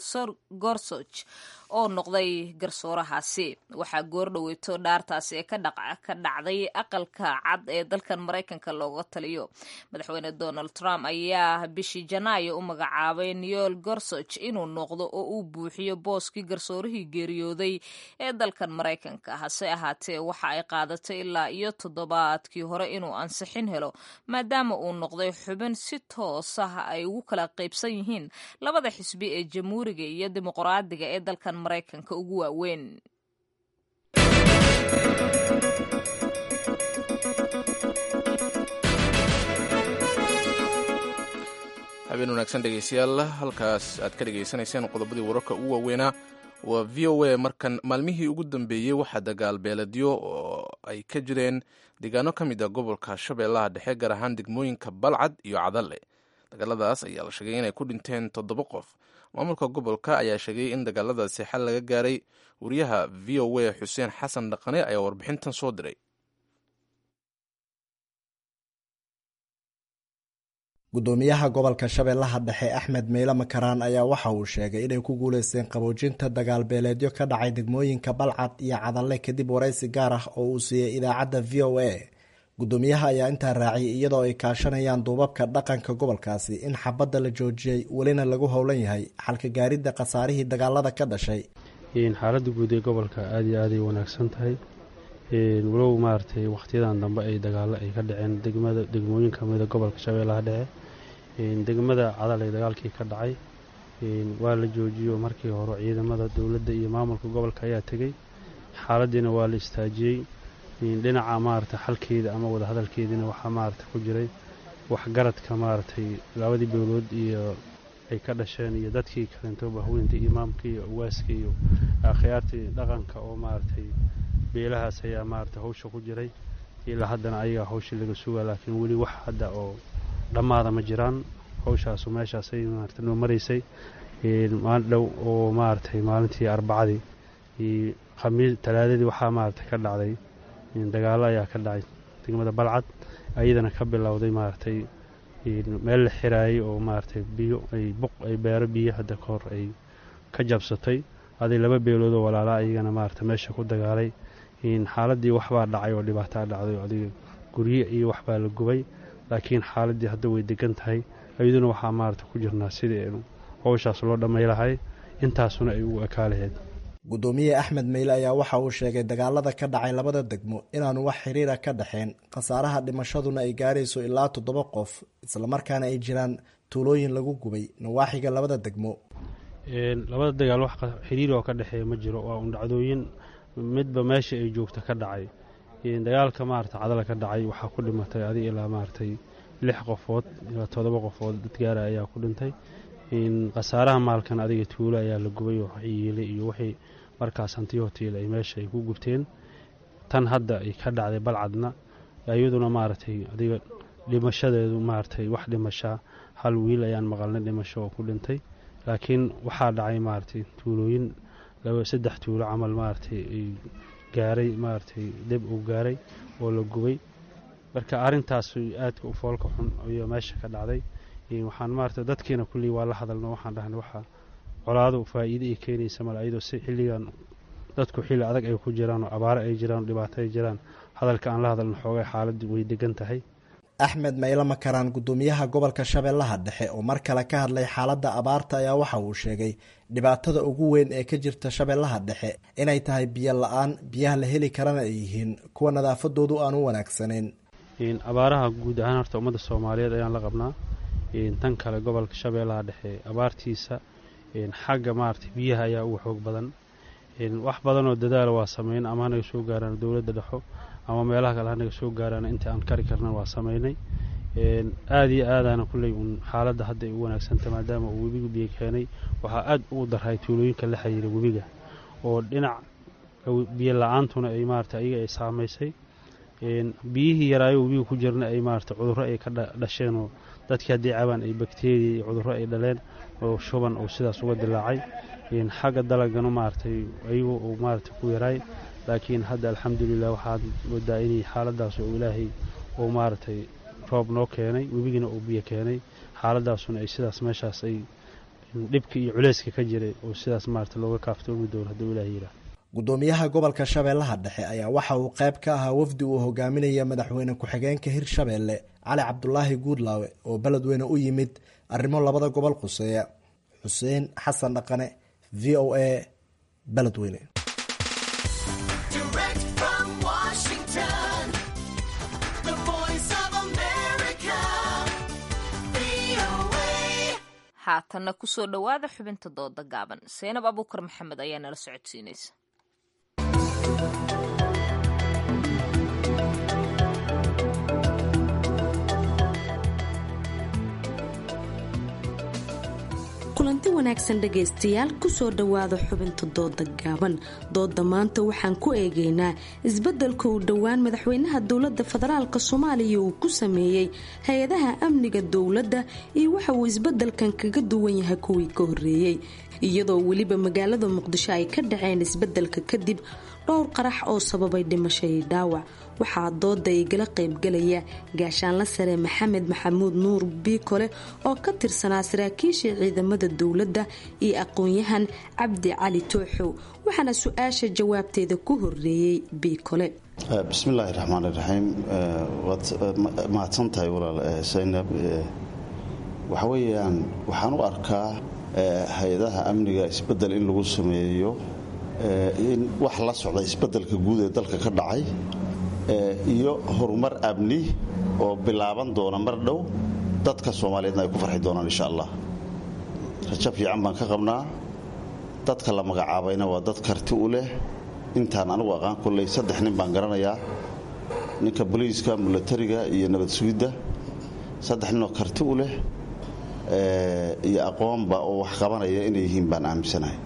Gorsuch, oo noqday garsoorahaasi. Waxaa goordhoweyto dhaartaasi ee ka dhacday Aqalka Cad ee dalkan Maraykanka looga taliyo. Madaxweyne Donald Trump ayaa bishii Janaayo u magacaabay Neil Gorsuch inuu noqdo oo uu buuxiyo booskii garsoorihii geeriyooday ee dalkan Maraykanka. Hase ahaatee waxa ay qaadatay ilaa iyo toddobaadkii hore inuu ansixin helo, maadaama uu noqday xubin si toos ah ay ugu kala qaybsan yihiin labada xisbi ee Jamhuuriga iyo Dimuqraadiga ee dalkan Maraykanka ugu waaweyn.
Habeen wanaagsan dhegeystayaal, halkaas aad ka dhegeysanayseen qodobadii wararka ugu waaweynaa waa VOA. Markan, maalmihii ugu dambeeyey waxaa dagaal beeladyo oo ay ka jireen deegaano ka mid a gobolka Shabeellaha Dhexe, gaar ahaan degmooyinka Balcad iyo Cadalle. Dagaaladaas ayaa la sheegay inay ku dhinteen toddoba qof. Maamulka gobolka ayaa sheegay in dagaaladaasi xal laga gaaray. Wariyaha VOA Xuseen Xasan Dhaqane ayaa warbixintan soo diray.
Gudoomiyaha gobolka Shabeellaha Dhexe Axmed Meyle Makaraan ayaa waxa uu sheegay inay ku guuleysteen qaboojinta dagaal beeleedyo ka dhacay degmooyinka Balcad iyo Cadalle, kadib waraysi gaar ah oo uu siiyey idaacadda VOA. Gudoomiyaha ayaa intaa raaciyay, iyadoo ay kaashanayaan duubabka dhaqanka gobolkaasi, in xabadda la joojiyey, welina lagu howlan yahay xalka gaaridda khasaarihii dagaalada ka dhashay.
Xaaladda guud ee gobolka aada iyo aaday wanaagsan tahay, walow maaragtay wakhtiyadan dambe ay dagaalo ay ka dhaceen degmada, degmooyin ka mida gobolka Shabeellaha Dhexe. Degmada Cadalay dagaalkii ka dhacay waa la joojiyo. Markii hore ciidamada dowladda iyo maamulka gobolka ayaa tegey, xaaladiina waa la istaajiyey. Dhinaca maaragtay xalkeeda ama wadahadalkeediina waxaa maaragtay ku jiray waxgaradka maaragtay labadii beelood iyo ay ka dhasheen iyo dadkii kalento, bahweynta, imaamka iyo awaaska iyo akhyaartii dhaqanka oo maaragtay beelahaas ayaa maaragtay hawsha ku jiray. Ilaa haddana ayagaa hawshii laga sugaa, laakiin weli wax hadda oo dhammaada ma jiraan. Hawshaasu meeshaasay maaragtay noo maraysay. Maalin dhow oo maaragtay maalintii Arbacadii iyo Khamiis, Talaadadii, waxaa maaragtay ka dhacday dagaallo ayaa ka dhacay degmada Balcad, ayadana ka bilowday maaragtay meel la xiraayay oo maaragtay biyo ay buq ay beero biyo hadda ka hor ay ka jabsatay. Aday laba beeloodoo walaalaa ayagana maaragtay meesha ku dagaalay. Xaaladii waxbaa dhacay oo dhibaataa dhacday oo adiga guryo iyo waxbaa la gubay, laakiin xaaladii hadda way degan tahay. Iyaduna waxaa maaragtay ku jirnaa sidii aynu howshaas loo dhamay lahay, intaasuna ay ugu ekaa lahayd.
Gudoomiye Axmed Meyle ayaa waxa uu sheegay dagaalada ka dhacay labada degmo inaanu wax xiriira ka dhexeen, khasaaraha dhimashaduna ay gaarayso ilaa toddoba qof, islamarkaana ay jiraan tuulooyin lagu gubay nawaaxiga labada degmo.
Labada dagaal wax xiriir oo ka dhexeeya ma jiro, waa un dhacdooyin midba meesha ay joogta ka dhacay. Dagaalka maarata Cadala ka dhacay waxaa ku dhimatay adig ilaa maaragtay lix qofood ilaa toddoba qofood dad gaara ayaa ku dhintay. Khasaaraha maalkan adiga tuulo ayaa la gubay oo yiilay iyo wixii markaas hantiyo hotiil ay meesha ay ku gubteen. Tan hadda ay ka dhacday Balcadna iyaduna maaragtay adiga dhimashadeedu maaragtay wax dhimashaa hal wiil ayaan maqalnay dhimasho oo ku dhintay, laakiin waxaa dhacay maaragtay tuulooyin laba saddex tuulo camal maaragtay ay gaaray maaragtay deb uu gaaray oo la gubay. Marka arrintaas aadka u foolka xun ayaa meesha ka dhacday. Waxaan maaragtay dadkiina kulley waa la hadalno, waxaan dhahnay waxa colaadu faa'iido ay keenaysa male, ayadoo si xilligan dadku xilli adag ay ku jiraan oo abaaro ay jiraan oo dhibaato ay jiraan. Hadalka aan la hadalno xoogay xaaladdu way degan tahay.
Axmed Mayle Makaraan, gudoomiyaha gobolka Shabeellaha Dhexe oo mar kale ka hadlay xaaladda abaarta, ayaa waxa uu sheegay dhibaatada ugu weyn ee ka jirta Shabeellaha Dhexe inay tahay biyo la-aan, biyaha la heli karana ay yihiin kuwa nadaafadoodu aan u wanaagsanayn.
Abaaraha guud ahaan horta ummadda Soomaaliyeed ayaan la qabnaa. Tan kale gobolka Shabeellaha Dhexe abaartiisa xagga maaragtay biyaha ayaa ugu xoog badan. Wax badanoo dadaala waa sameyn, ama hanaga soo gaaraan dowladda dhexo ama meelaha kale hanaga soo gaaraan, inta aan kari karna waa sameynay. Aada iyo aadaana kulley uun xaaladda hadda ay u wanaagsanta maadaama uu webigu biyo keenay. Waxaa aad ugu daray tuulooyinka la xiriira webiga oo dhinac biyo la-aantuna ay maarata iyaga ay saamaysay, biyihii yaraayo webiga ku jirna ay maarata cudurro ay ka dhasheen oo dadkii haddii cabaan ay bakteriya iyo cudurro ay dhaleen oo shuban oo sidaas uga dilaacay. Xagga dalagana maaragtay ayagu uu maarata ku yaraay, laakiin hadda alxamdulilah waxaad moodaa inay xaaladaas oo ilaahay uu maaragtay roob noo keenay, webigina uu biyo keenay, xaaladaasuna ay sidaas meeshaas ay dhibka iyo culeyska ka jiray oo sidaas maarata looga kaaftoomi doono hadduu ilaahay yidhaah.
Gudoomiyaha gobolka Shabeellaha Dhexe ayaa waxa uu qayb ka ahaa wafdi uu hogaaminaya madaxweyne ku-xigeenka Hirshabeelle Cali Cabdulaahi Guudlaawe oo beledweyne u yimid arrimo labada gobol quseeya. Xuseen Xasan Dhaqane, v o a, Beledweyne.
Haatanna kusoo dhowaada xubinta dooda gaaban. Seynab Abuukar Maxamed ayaa nala socodsiinaysa.
Kulanti wanaagsan dhegaystayaal, kusoo dhowaada xubinta dooda gaaban. Dooda maanta waxaan ku eegaynaa isbeddelka uu dhowaan madaxweynaha dowladda federaalk Soomaaliya uu ku sameeyey hay-adaha amniga dowladda iyo waxa uu isbeddelkan kaga duwan yahay kuwii ka horreeyey, iyadoo weliba magaalada Muqdisho ay ka dhaceen isbeddelka kadib dhowr qarax oo sababay dhimasho iyo dhaawac. Waxaa dooda igala qaybgalaya gaashaanla sare Maxamed Maxamuud Nuur Biikole oo ka tirsanaa saraakiisha ciidamada dowladda iyo aqoon-yahan Cabdi Cali Tooxow, waxaana su-aasha jawaabteeda ku horeeyey Biikole.
Bismillaahi raxmaan iraxiim. Waad mahadsan tahay walaal Saynab. Waxa weeyaan waxaan u arkaa hay-adaha amniga isbedel in lagu sameeyo in wax la socda isbedelka guud ee dalka ka dhacay iyo horumar amni oo bilaaban doona mar dhow, dadka Soomaaliyeedna ay ku farxi doonaan insha allah. Rajo fiican baan ka qabnaa. Dadka la magacaabayna waa dad karti u leh. Intaan anigu aqaan kulley saddex nin baan garanayaa, ninka boliiska, milatariga iyo nabad sugidda. Saddex ninoo karti u leh iyo aqoonba oo wax qabanaya inay yihiin baan aaminsanahay.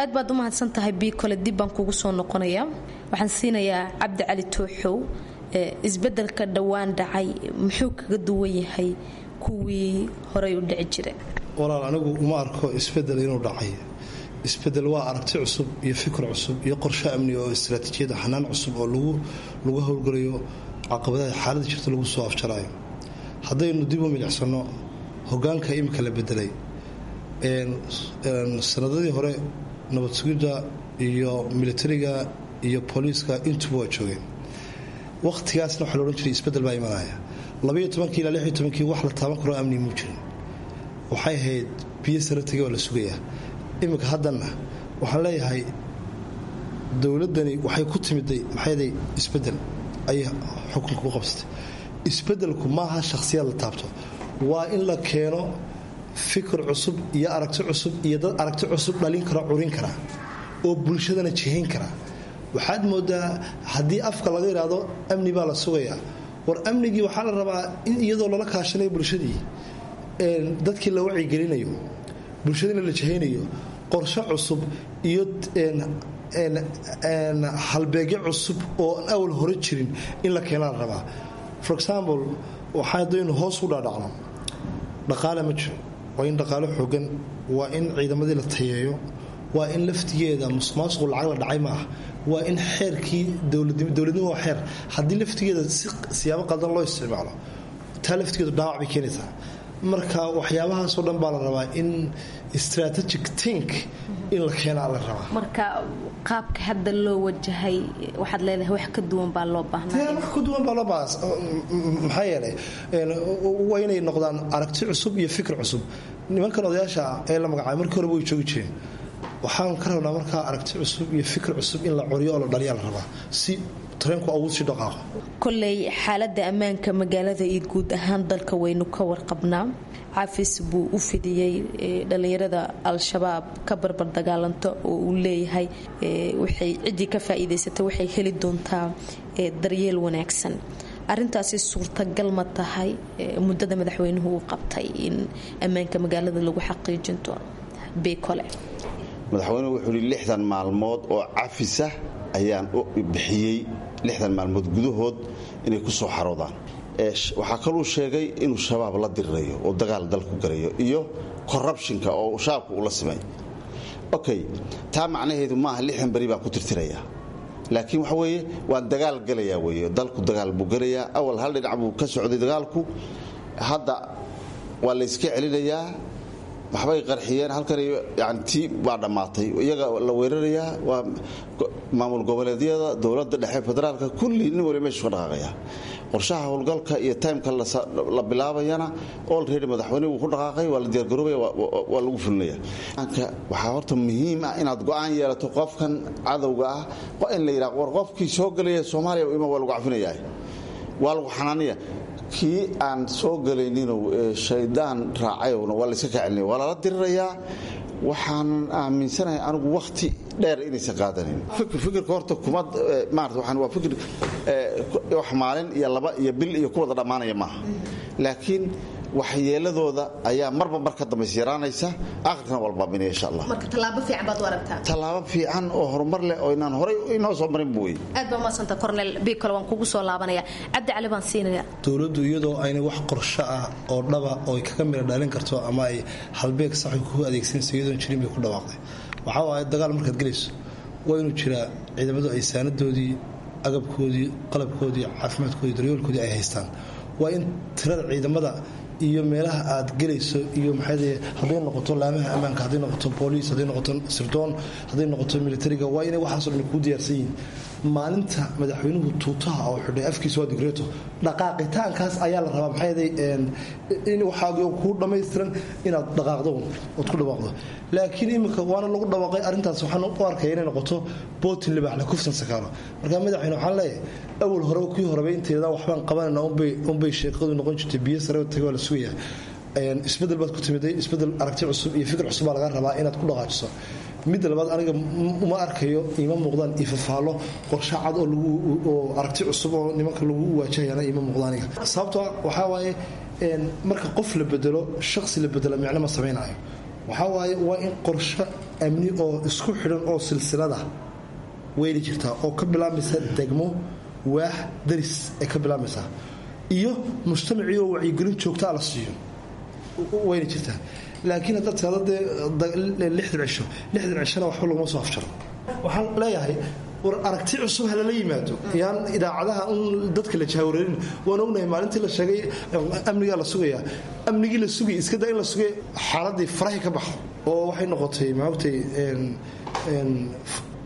Aad baad u mahadsan tahay Biikole, dib baan kugu soo noqonayaa. Waxaan siinayaa Cabdi Cali Tooxow. Isbeddelka dhowaan dhacay muxuu kaga duwan yahay kuwii horay u dhici jiray?
Walaal, anigu uma arko isbedel inuu dhacay. Isbedel waa aragti cusub iyo fikir cusub iyo qorshe amni oo istaraatiijiyada xanaan cusub oo lagu howlgalayo caqabadaha xaaladda jirta lagu soo afjaraayo. Haddaynu dib u milicsano hogaanka imika la bedelay, sanadadii hore nabad sugidda iyo militariga iyo booliiska intuba waa joogeen. Wakhtigaasna waxaa la odhan jiray isbedel baa imanaya. 12-kii ilaa 16-kii wax la taaban karoo amni muu jirin, waxay ahayd biyo sare tegay waa la sugayaa. Iminka haddanna waxaan leeyahay dowladdani waxay ku timiday maxayday isbedel ayay xukunka ku qabsatay. Isbedelku maaha shakhsiyaad la taabto, waa in la keeno fikir cusub iyo aragti cusub iyo dad aragti cusub dhalin kara, curin kara oo bulshadana jihayn kara. Waxaad moodaa haddii afka laga yidhaahdo amni baa la sugayaa, war amnigii waxaa la rabaa in iyadoo lala kaashanayo bulshadii, dadkii la wacyigelinayo. Bulshadina la jahaynayo, qorshe cusub iyo halbeegyo cusub oo aan awal hore jirin in la keenaa la rabaa. For example, waxaa haddaynu hoos u dhaadhacno, dhaqaale ma jiro. Waa in dhaqaale xoogan, waa in ciidamadii la tayeeyo, waa in laftigeeda musuqmaasuqu lacag la dhacay ma ah, waa in xeerkii dowladnimo waa xeer. Haddii laftigeeda si siyaabo qaldan loo isticmaalo, taa laftigeedu dhaawac bay keenaysaa. Marka waxyaabahaasoo dhan baa la rabaa in strategic think in la keenaa la rabaa.
Marka qaabka hadda loo wajahay waxaad leedahay wax ka duwan baa loo baahnaa?
Wax ka duwan baa loo baahnaa. Maxaa yeelay, waa inay noqdaan aragti cusub iyo fikir cusub. Nimankan odayaasha ee la magacaabay markii horeba way joogi jireen. Waxaan ka rabnaa markaa aragti cusub iyo fikir cusub in la coriyo oo la dhaliyaa la rabaa si tareenku ugu sii dhaqaaqo.
Kolley xaaladda ammaanka magaalada iyo guud ahaan dalka waynu ka warqabnaa. Cafis buu u fidiyey dhallinyarada Al-Shabaab ka barbar dagaalanto oo uu leeyahay waxay ciddii ka faa'iidaysatay waxay heli doontaa daryeel wanaagsan. Arintaasi suurtagal ma tahay muddada madaxweynuhu uu qabtay in ammaanka magaalada lagu xaqiijin doono, Beekole?
Madaxweynuhu wuxuu yidhi 60 maalmood oo cafisa ayaan u bixiyey, 60 maalmood gudahood inay ku soo xaroodaan. Waxaa kaluu sheegay inuu Shabaab la dirirayo oo dagaal dalku garayo iyo corruptionka oo shabaabka ula simay. Okay, taa macnaheedu maaha 60 beri baan ku tirtirayaa, laakiin waxa weeye waan dagaal galayaa weeye. Dalku dagaal buu galayaa. Awal hal dhinac buu ka socday dagaalku, hadda waa la iska celinayaa. Waxbay qarxiyeen halkan, yani tii waa dhammaatay, iyaga la weerarayaa. Waa maamul goboleedyada, dowladda dhexe, federaalka, kulli nin wali meeshu ka dhaqaaqaya. Qorshaha howlgalka iyo timeka la bilaabayana already madaxweyne wuu ku dhaqaaqay, waa la diyaargaroobaya, waa lagu fulinaya. Waxaa horta muhiim ah inaad go'aan yeelato. Qofkan cadowga ah in la yidhaha war qofkii soo gelaya Soomaaliya ima waa lagu cafinayaa, waa lagu xanaanaya. Kii aan soo gelayninow shaydaan raacayowna waa layska kacelinaya, waa lala dirirayaa. Waxaan aaminsanahay anigu wakhti dheer inaysan qaadanin. Fikirka horta kuma maarata, waxaan waa fikir wax maalin iyo laba iyo bil iyo ku wada dhammaanaya maaha, laakiin waxyeeladooda ayaa marba mar ka dambaysa yaraanaysa, aakhirkana waa la baabiinaya insha Allah.
Marka tallaabo fiican baad u aragtaa?
Tallaabo fiican oo horumar leh oo inaan horay inoo soo marin buu wey.
Aad baa umadsanta, Cornel Bikole. Waan kugu soo laabanaya. Cabdi Cali baan siinaya.
Dowladdu iyadoo aynay wax qorsho ah oo dhaba oo ay kaga mira dhalin karto ama ay halbeeg sax ku adeegsanayso iyadoon jirin bay ku dhawaaqday. Waxaa waaye dagaal markaad gelayso waa inuu jiraa ciidamadu ay saanadoodii, agabkoodii, qalabkoodii, caafimaadkoodii, daryoolkoodii ay haystaan. Waa in tirada ciidamada iyo meelaha aad gelayso iyo maxay hadday noqoto laamaha ammaanka, hadday noqoto booliis, hadday noqoto sirdoon, hadday noqoto militariga, waa inay waxaasoo dhan kuu diyaarsan yihiin. Maalinta madaxweynuhu tuutaha oo xidhay afkiisa waa digreeto, dhaqaaqitaankaas ayaa la rabaa. Maxay in waxaagii kuu dhammaystiran inaad dhaqaaqdo ood ku dhawaaqdo. Laakiin iminka waana lagu dhawaaqay arrintaas, waxaan u arkaya inay noqoto bootin libaaxle kufsan sakaaro. Marka madaxweyne waxaan leeyahay awal horeba kuwii horeba inteeda waxbaan qabanayna unbay sheekadu noqon jirtay, biyo sare tagay waa la sugayaa. Isbedel baad ku timiday, isbedel aragti cusub iyo fikir cusub baa laga rabaa inaad ku dhaqaajiso. Midda labaad, aniga uma arkayo, ima muuqdaan ifafaalo qorshe cad oo lagu oo aragti cusub oo nimanka lagu waajahayana ima muuqdaan aniga. Sababtoo waxaa waaye marka qof la bedelo, shaqsi la bedelo, micno ma samaynayo. Waxaa waaye waa in qorshe amni oo isku xidhan oo silsilada weyli jirtaa oo ka bilaabmaysa degmo, waax, daris ay ka bilaabmaysaa iyo mujtamacii oo wacyigelin joogtaa la siiyo wayna jirtaa. Laakiin haddaad tirahdo dee 60 cisho, 60 cishona waxba laguma soo afjaro. Waxaan leeyahay war aragti cusub ha lala yimaado, yaan idaacadaha un dadka la jahwareerin. Waan ognahay maalintii la sheegay amnigaa la sugayaa, amnigii la sugay iska daa in la sugay, xaaladii farahi ka baxdo oo waxay noqotay maogtay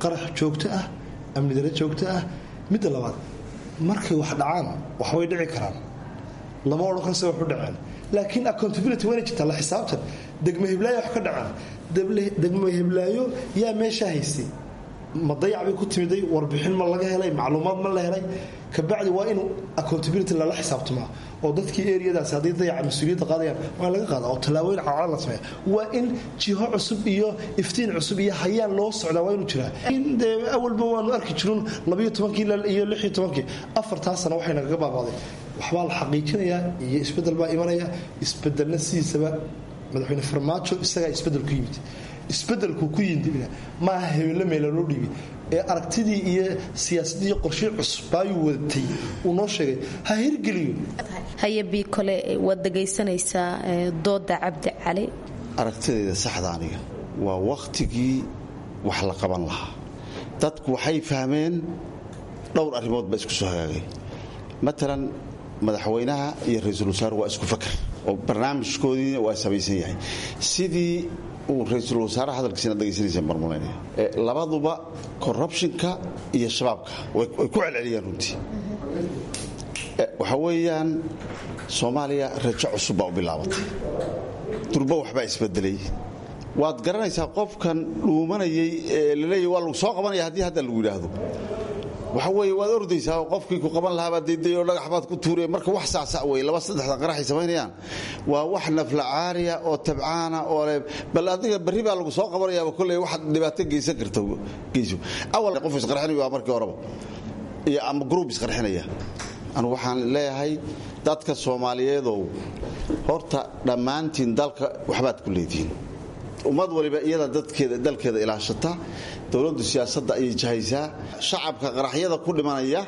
qarax joogto ah, amni dare joogto ah. Midda labaad, markay wax dhacaan waxbay dhici karaan, lama odhan karo se wax u dhaceen, laakiin accountability wayna jirtaa, la xisaabtan. Degmo hiblaayo wax ka dhacaan, degmo hiblaayo yaa meeshaa haystay, ma dayac bay ku timiday, warbixin ma laga helay, macluumaad ma la helay? Kabacdi waa inuu accountability lala xisaabtamaa oo dadkii eriyadaasi hadday dayaca mas-uuliyadda qaadayaan waa in laga qaada oo tallaabooyin cadcad la sameeya. Waa in jiho cusub iyo iftiin cusub iyo hayaan loo socdaa waa inuu jiraa. Dee awalba waanu arki jirun 12-kii iyo 16-kii, 4-taa sano waxay nagaga baabaaday. Waxbaa la xaqiijinayaa iyo isbeddel baa imanaya. Isbedelna sidiisaba Madaxweyne Farmaajo isagaa isbedel ku yimid, isbedelku ku yimidna maaha hebello meela loo dhiibay ee aragtidii iyo siyaasaddii iyo qorshii cusub baayuu wadatay uu noo sheegay ha hirgeliyo.
Haye Biikole, waad dhegaysanaysaa dooda Cabdi Cali.
Aragtidayda saxda aniga waa wakhtigii wax la qaban lahaa. Dadku waxay fahmeen dhowr arrimood baa isku soo hagaagay. Matalan, madaxweynaha iyo ra-iisul wasaaruhu waa isku fakar oo barnaamijkoodiina waa samaysan yahay, sidii uu ra-iisul wasaaraha hadalkiisina dhegaysanayseen barmulaynaya. Labaduba corruptionka iyo shabaabka way ku celceliyeen. Runtii waxa weeyaan Soomaaliya rajo cusub baa u bilaabatay, durba waxbaa isbedelay. Waad garanaysaa qofkan dhuumanayay ee laleeyahy waa lagu soo qabanaya, haddii hadda lagu yidhaahdo waxa weeye waad ordaysaa oo qofkii ku qaban lahaa baad dayday oo dhagax baad ku tuuraya. Marka wax saacsac wey, laba saddexda qaraxay samaynayaan waa wax naflacaariya oo tabcaana oo le bal adiga berri baa lagu soo qabanayaaba kolley waxaad dhibaato geysan karta geyso. Awal qof isqarxinayo waa markii horeba iyo ama group isqarxinaya. Anu waxaan leeyahay dadka Soomaaliyeedow, horta dhammaantiin dalka waxbaad ku leedihiin. Ummad waliba iyada dadkeeda dalkeeda ilaashata, dowladdu siyaasadda ayay jahaysaa. Shacabka qaraxyada ku dhimanaya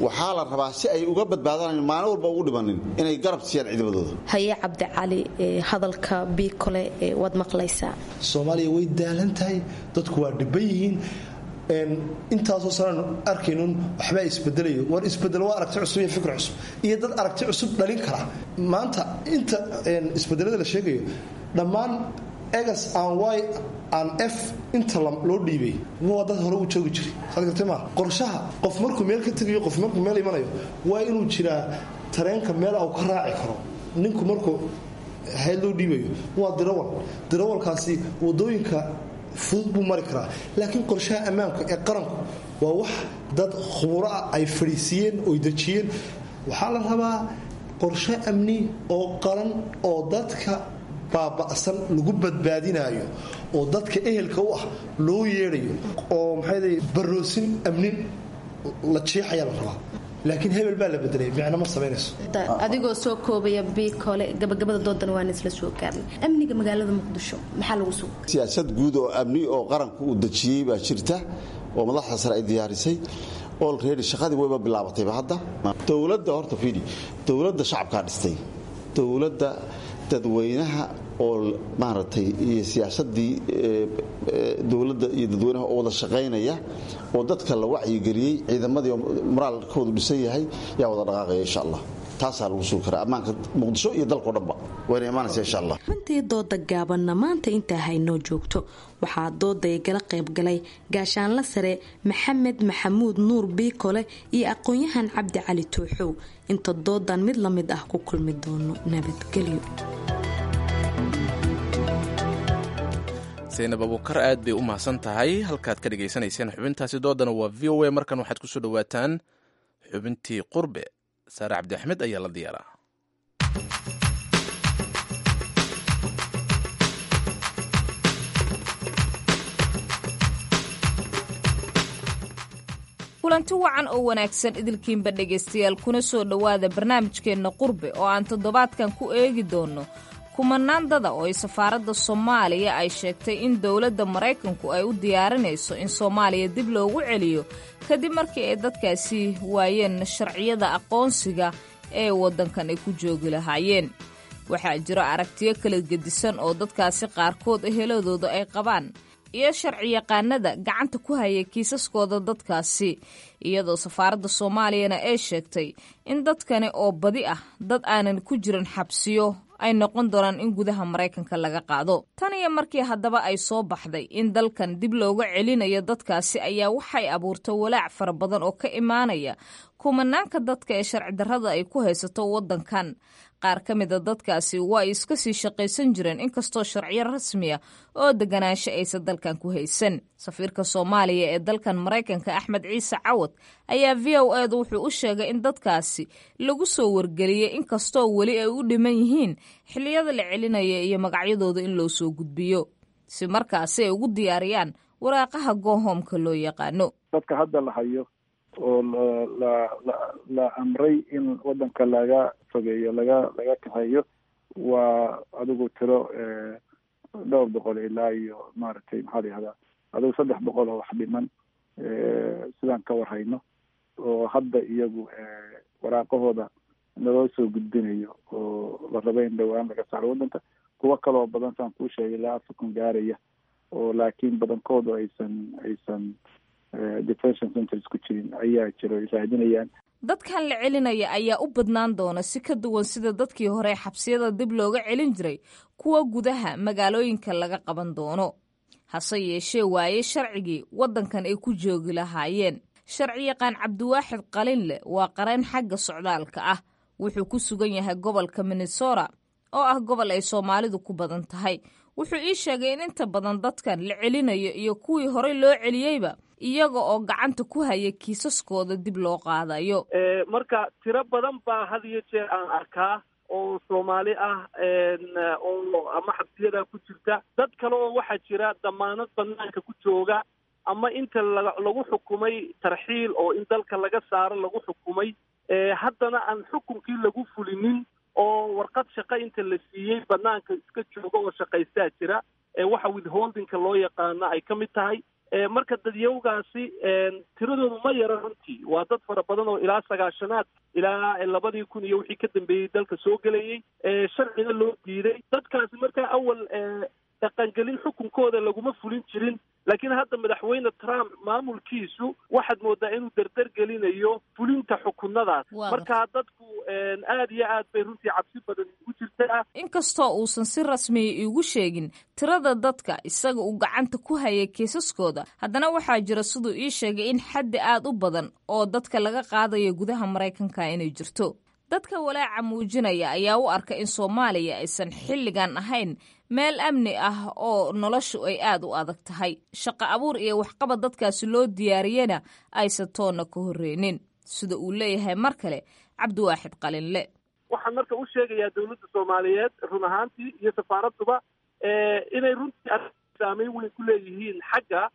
waxaa la rabaa si ay uga badbaadaan maalin walba ugu dhimanin inay garab siiyaan ciidamadooda.
Haye Cabdicali, hadalka Biikole waad maqlaysaa.
Soomaaliya way daalan tahay, dadku waa dhiban yihiin. Intaasoo sanaan arkaynun waxbaa isbedelayo. War isbedel waa aragti cusub iyo fikr cusub iyo dad aragti cusub dhalin kara. Maanta inta isbedelada la sheegayo dhammaan egas aan y aan f inta loo dhiibay waa dad hore u joogi jiray, saad gartay maa. Qorshaha qof markuu meel ka tegayo, qof markuu meel imanayo, waa inuu jiraa tareenka meel au ka raaci karo. Ninku markuu hayad loo dhiibayo waa dirawal, dirawalkaasi wadooyinka fudud buu mari karaa. Laakiin qorshaha ammaanka ee qaranku waa wax dad khuburo ah ay fadhiisiiyeen oy dejiyeen. Waxaa la rabaa qorshe amni oo qaran oo dadka baaba'san lagu badbaadinayo oo dadka ehelka u ah loo yeedhayo oo maxay baroosin amni la jiixayaa la rabaa. Laakiin hebel baa la bedelay micno ma samaynayso.
Adigoo soo koobaya Biikole, gabagabada doodan waan isla soo gaarnay, amniga magaalada Muqdisho maxaa lagu suga?
Siyaasad guud oo amni oo qaranku uu dejiyey baa jirta oo madaxda sare ay diyaarisay. Already shaqadii wayba bilaabatayba hadda. Dowladda horta fiidi, dowladda shacabkaa dhistay, dowladda dadweynaha oo maaragtay iyo siyaasadii dowladda iyo dadweynaha oo wada shaqaynaya oo dadka la wacyigeliyey, ciidamadii moraalkoodu dhisan yahay yaa wada dhaqaaqaya insha Allah. Taasaa lagu sugi karaa ammaanka Muqdisho iyo dalkao dhanba, wayna imaanaysa insha Allah.
Xubintii dooda gaabanna maanta intaa haynoo joogto. Waxaa dooday gala qaybgalay gaashaanla sare Maxamed Maxamuud Nuur Biikole iyo aqoon-yahan Cabdi Cali Tuuxow. Inta doodan mid la mid ah ku kulmi doono, nabadgelyo.
Saynab Abuukar aad bay u mahadsan tahay. Halkaad ka dhegaysanayseen xubintaasi doodana waa VOA. Markan waxaad kusoo dhawaataan xubintii Qurbe. Saare Cabdi Axmed ayaa la diyaaraa.
Kulanti wacan oo wanaagsan idilkiinba dhegaystayaal, kuna soo dhowaada barnaamijkeenna Qurbe oo aan toddobaadkan ku eegi doonno kumanaan dada oo ay safaaradda Soomaaliya ay sheegtay in dowladda Maraykanku ay u diyaarinayso in Soomaaliya dib loogu celiyo kadib markii ay dadkaasi waayeen sharciyada aqoonsiga ee waddankan ay ku joogi lahaayeen. Waxaa jiro aragtiyo kala gedisan oo dadkaasi qaarkood eheladooda ay qabaan iyo sharciyaqaanada gacanta ku haya kiisaskooda dadkaasi, iyadoo safaaradda Soomaaliyana ay sheegtay in dadkani oo badi ah dad aanan ku jirin xabsiyo ay noqon doonaan in gudaha Maraykanka laga qaado. Tan iyo markii haddaba ay soo baxday in dalkan dib looga celinayo dadkaasi ayaa waxay abuurtay walaac fara badan oo ka imaanaya kumanaanka dadka ee sharci darrada ay ku haysato waddankan. Qaar ka mida dadkaasi waa ay iska sii shaqaysan jireen inkastoo sharciyo rasmiya oo deganaansho aysan dalkan ku haysan. Safiirka Soomaaliya ee dalkan Maraykanka Axmed Ciise Cawad ayaa VOA-da wuxuu u sheegay in dadkaasi lagu soo wargeliyey inkastoo weli ay u dhiman yihiin xilliyada la celinaya iyo magacyadooda in loo soo gudbiyo si markaasi ay ugu diyaariyaan waraaqaha goohoomka loo yaqaano.
Dadka hadda la hayo oo la amray in wadanka laga fogeeyo, laga kaxeeyo, Waa adigu tiro dhowr boqol ilaa iyo maaragtay, maxaa la yihahdaa, adigu 300 oo wax dhiman sidaan ka warhayno, oo hadda iyagu waraaqahooda naloo soo gudbinayo oo la rabo in dhowaan laga saaro waddanka. Kuwo kaloo badan, saan kuu sheegay, ilaa 4000 gaaraya oo laakiin badankoodu aysan detention centers ku jirin ayaa jiro, ay raadinayaan.
Dadkan la celinaya ayaa u badnaan doona, si ka duwan sida dadkii hore xabsiyada dib looga celin jiray, kuwa gudaha magaalooyinka laga qaban doono, hase yeeshee waaye sharcigii waddankan ay ku joogi lahaayeen. Sharciyaqaan Cabdiwaaxid Qalinleh waa qareen xagga socdaalka ah. Wuxuu ku sugan yahay gobolka Minnesota oo ah gobol ay Soomaalidu ku badan tahay. Wuxuu ii sheegay in inta badan dadkan la celinayo iyo kuwii horey loo celiyeyba iyaga oo gacanta ku haya kiisaskooda dib loo qaadayo.
Marka tiro badan baa had iyo jeer aan arkaa oo Soomaali ah oo ama xabsiyada ku jirta, dad kale oo waxaa jira damaanad banaanka ku jooga, ama inta lagu xukumay tarxiil oo in dalka laga saaro lagu xukumay, haddana aan xukunkii lagu fulinin oo warqad shaqo inta la siiyey banaanka iska jooga oo shaqaystaa jira, waxa withholdingka loo yaqaano ay ka mid tahay. Marka dadyawgaasi tiradoodu ma yara runtii, waa dad fara badan oo ilaa 90-aad ilaa 2000 iyo wixii ka dambeeyey dalka soo gelayey, sharcina loo diiday dadkaasi. Markaa awal dhaqangelin xukunkooda laguma fulin jirin, laakiin hadda Madaxweyne Trump maamulkiisu waxaad moodaa inuu dardar gelinayo fulinta xukunadaas. Marka dadku aad iyo aad bay runtii cabsi badan ugu jirtaa.
Inkastoo uusan si rasmiya iigu sheegin tirada dadka isaga uu gacanta ku hayay kiisaskooda, haddana waxaa jira, siduu ii sheegay, in xaddi aad u badan oo dadka laga qaadayo gudaha Maraykanka inay jirto. Dadka walaaca muujinaya ayaa u arka in Soomaaliya aysan xilligan ahayn meel amni ah oo noloshu ay aad u adag tahay, shaqo abuur iyo waxqabad dadkaasi loo diyaariyena aysan toonna ka horreynin, sida uu leeyahay mar kale Cabdiwaaxid Qalinle.
Waxaan marka u sheegayaa dowladda Soomaaliyeed run ahaantii iyo safaaradduba inay runtii saameyn weyn ku leeyihiin xagga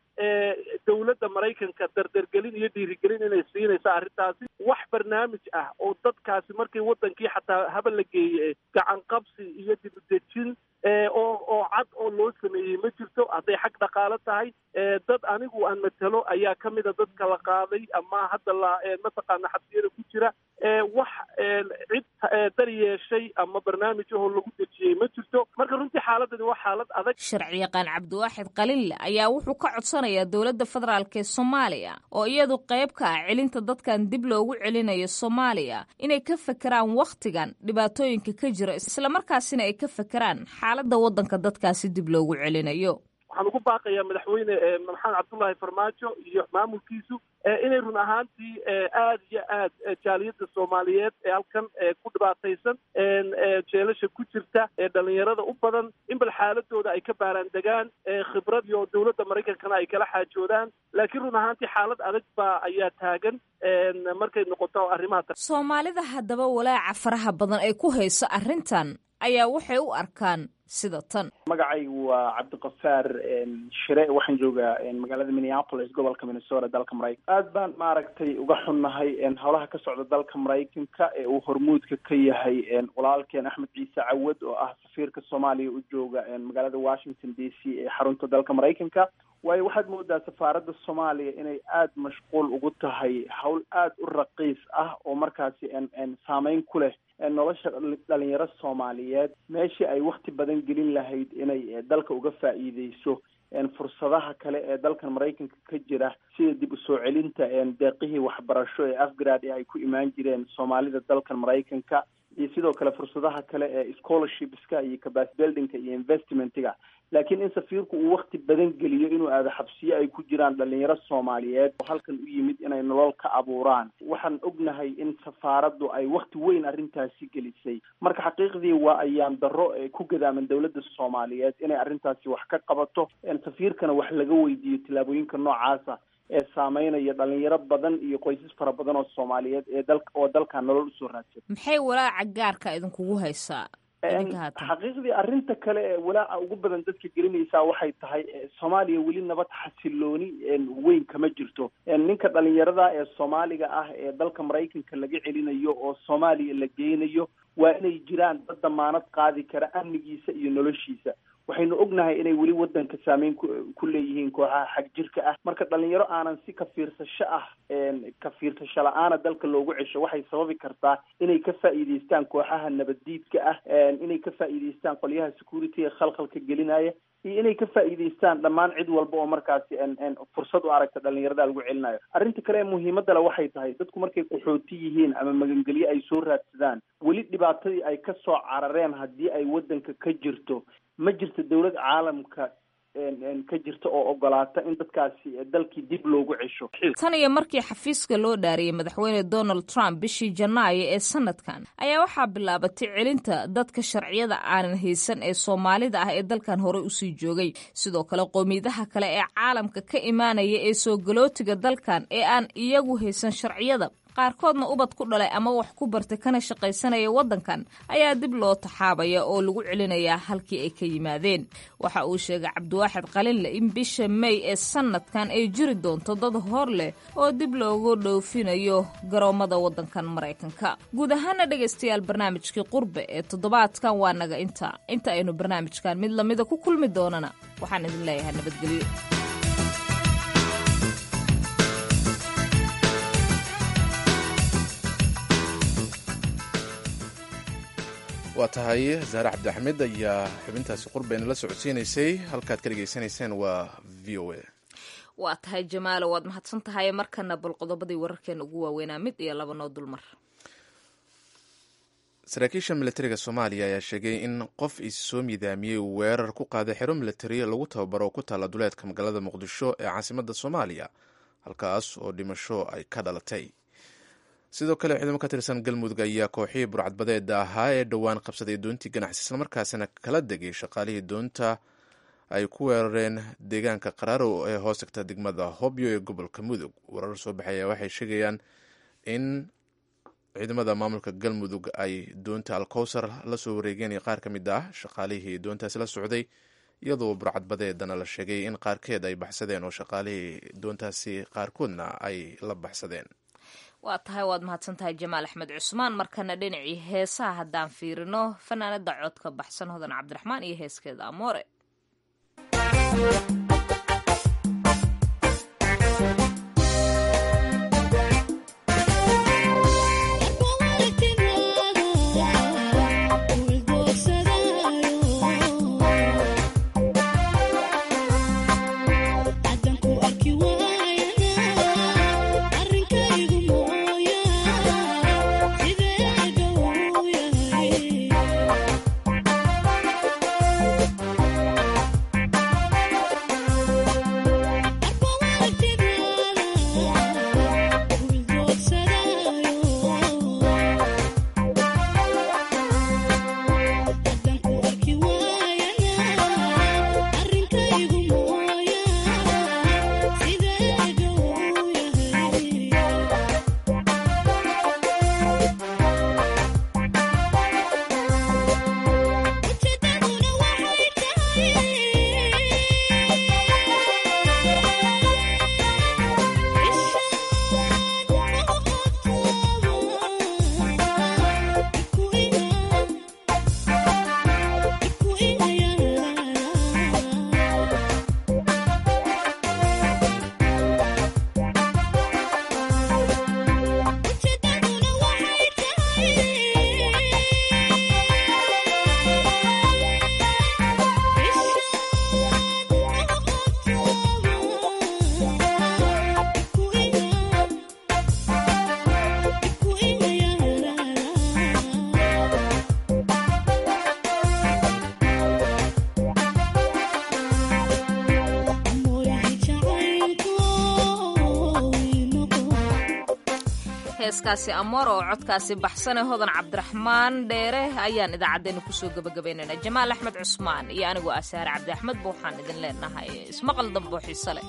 dowladda Maraykanka, dardargelin iyo dhiirigelin inay siinayso arrintaasi. Wax barnaamij ah oo dadkaasi markii waddankii xataa haba la geeye gacan qabsi iyo dibudejin oo cad oo loo sameeyey ma jirto. Hadday xag dhaqaalo tahay, dad anigu aan matalo ayaa ka mida dadka la qaaday ama hadda la mataqaana xabsiyada ku jira. Wax cid dar yeeshay ama barnaamij ahoo lagu dejiyey ma jirto. Marka runtii xaaladani waa xaalad adag.
Sharciyaqaan Cabdiwaaxid Qalinle ayaa wuxuu ka codsanayaa dowladda federaalk ee Soomaaliya, oo iyadu qayb ka ah celinta dadkan dib loogu celinayo Soomaaliya, inay ka fekeraan wakhtigan dhibaatooyinka ka jira, islamarkaasina ay ka fekeraan xaaladda waddanka dadkaasi dib loogu celinayo.
Waxaan ugu baaqayaa Madaxweyne Maxamed Cabdullaahi Farmaajo iyo maamulkiisu inay run ahaantii aad iyo aad jaaliyadda Soomaaliyeed ee halkan ku dhibaataysan, jeelasha ku jirta, ee dhalinyarada u badan, in bal xaaladooda ay ka baaraan degaan, khibrad iyo dowladda Maraykankana ay kala xaajoodaan. Laakiin run ahaantii xaalad adag baa ayaa taagan markay noqoto arrimaha
Soomaalida. Haddaba walaaca faraha badan ay ku hayso arrintan ayaa waxay u arkaan sida tan.
Magacaygu waa Cabdiqafaar Shire, waxaan joogaa magaalada Minneapolis, gobolka Minnesota, dalka Maraykanka. Aad baan maaragtay uga xunnahay howlaha ka socda dalka Maraykanka ee uu hormuudka ka yahay walaalkeen Axmed Ciise Cawad, oo ah safiirka Soomaaliya u jooga magaalada Washington DC ee xarunta dalka Maraykanka. Waayo, waxaad moodaa safaaradda Soomaaliya inay aada mashquul ugu tahay hawl aada u raqiis ah oo markaasi saameyn ku leh nolosha dhalinyaro Soomaaliyeed, meeshii ay wakti badan gelin lahayd inay dalka uga faa'iideyso fursadaha kale ee dalkan Maraykanka ka jira, sida dib usoo celinta deeqihii waxbarasho ee afgrad ee ay ku imaan jireen Soomaalida dalkan Maraykanka, iyo sidoo kale fursadaha kale ee scholarshipska iyo capacity buildingka iyo investmentiga. Laakiin in safiirku uu wakti badan geliyo inuu aado xabsiyo ay ku jiraan dhalinyaro Soomaaliyeed oo halkan u yimid inay nolol ka abuuraan, waxaan ognahay in safaaraddu ay wakti weyn arrintaasi gelisay. Marka xaqiiqdii waa ayaan darro ee ku gadaaman dowladda Soomaaliyeed inay arrintaasi wax ka qabato, safiirkana wax laga weydiiyo tillaabooyinka noocaasa ee saameynaya dhalinyaro badan iyo qoysas fara badan oo Soomaaliyeed ee dalka oo dalkan nolol usoo raadsan.
Maxay walaaca gaarka idinkugu haysaa?
Xaqiiqdii arrinta kale ee walaaca ugu badan dadka gelinaysaa waxay tahay, Soomaaliya weli nabad xasilooni weyn kama jirto. Ninka dhalinyarada ee Soomaaliga ah ee dalka Maraykanka laga celinayo oo Soomaaliya la geynayo Waa inay jiraan dad damaanad qaadi kara amnigiisa iyo noloshiisa. Waxaynu ognahay inay weli wadanka saameyn ku leeyihiin kooxaha xag jirka ah. Marka dhalinyaro aanan si ka fiirsasho ah, ka fiirsasho la-aana dalka loogu cesho, waxay sababi kartaa inay ka faa'iidaystaan kooxaha nabaddiidka ah, inay ka faa'iidaystaan qolyaha security-ga khalkhalka gelinaya, iyo inay ka faa'iidaystaan dhammaan cid walba oo markaasi fursad u aragta dhalinyarada lagu celinayo. Arrinta kale ee muhiimadda le waxay tahay, dadku markay qaxooti yihiin ama magangelyo ay soo raadsadaan, weli dhibaatadii ay ka soo carareen haddii ay wadanka ka jirto, ma jirto dowlad caalamka ka jirta oo ogolaata in dadkaasi dalkii dib loogu cesho.
Tan iyo markii xafiiska loo dhaariyey madaxweyne Donald Trump bishii Janaayo ee sanadkan ayaa waxaa bilaabatay celinta dadka sharciyada aanan haysan ee Soomaalida ah ee dalkan horey usii joogay. Sidoo kale qowmiyadaha kale ee caalamka ka imaanaya ee soo galootiga dalkan ee aan iyagu haysan sharciyada, qaarkoodna ubad ku dhalay ama wax ku bartay kana shaqaysanaya waddankan, ayaa dib loo taxaabaya oo lagu celinayaa halkii ay ka yimaadeen. Waxa uu sheegay Cabdiwaaxid Qalinle in bisha May ee sanadkan ay jiri doonto dad hor leh oo dib loogu dhoofinayo garoommada waddankan Maraykanka. Guud ahaana dhegaystayaal, barnaamijkii Qurbe ee toddobaadkan waa naga inta. Inta aynu barnaamijkan mid lamida ku kulmi doonana, waxaan idin leeyahay nabadgelyo.
Waa tahay, Zahre Cabdixamed ayaa xubintaasi qurbayna la socodsiinaysay. Halkaad ka dhegaysanayseen waa VOA.
Waa tahay Jamaalo, waad mahadsan tahay. Markana bal qodobadii wararkeena ugu waaweynaa mid iyo laba noo dulmar.
Saraakiisha militariga Soomaaliya ayaa sheegay in qof is soo midaamiyey uu weerar ku qaaday xero militari lagu tababaro oo ku taalla duleedka magaalada Muqdisho ee caasimadda Soomaaliya, halkaas oo dhimasho ay ka dhalatay. Sidoo kale ciidamo ka tirsan Galmudug ayaa kooxihii burcadbadeeda ahaa ee dhowaan qabsaday doontii ganacsi islamarkaasina kala degay shaqaalihii doonta ay ku weerareen deegaanka Qaraaro ee hoos tagta degmada Hobyo ee gobolka Mudug. Warar soo baxaya waxay sheegayaan in ciidamada maamulka Galmudug ay doonta Alkowsar la soo wareegeen iyo qaar ka mid ah shaqaalihii doontaasi la socday, iyadoo burcadbadeedana la sheegay in qaarkeed ay baxsadeen oo shaqaalihii doontaasi qaarkoodna ay la baxsadeen.
Waa tahay, waad mahadsan tahay Jamaal Axmed Cusmaan. Markana dhinacii heesaha haddaan fiirino, fanaanada codka baxsan Hodan Cabdiraxmaan iyo heeskeeda Amoore. Heeskaasi Amoor oo codkaasi baxsane Hodan Cabdiraxmaan Dheere ayaan idaacaddeenna kusoo gabagabaynaynaa. Jamaal Axmed Cusmaan iyo anigoo ah Saare Cabdi Axmed ba waxaan idin leenahay ismaqal dambo xiise leh.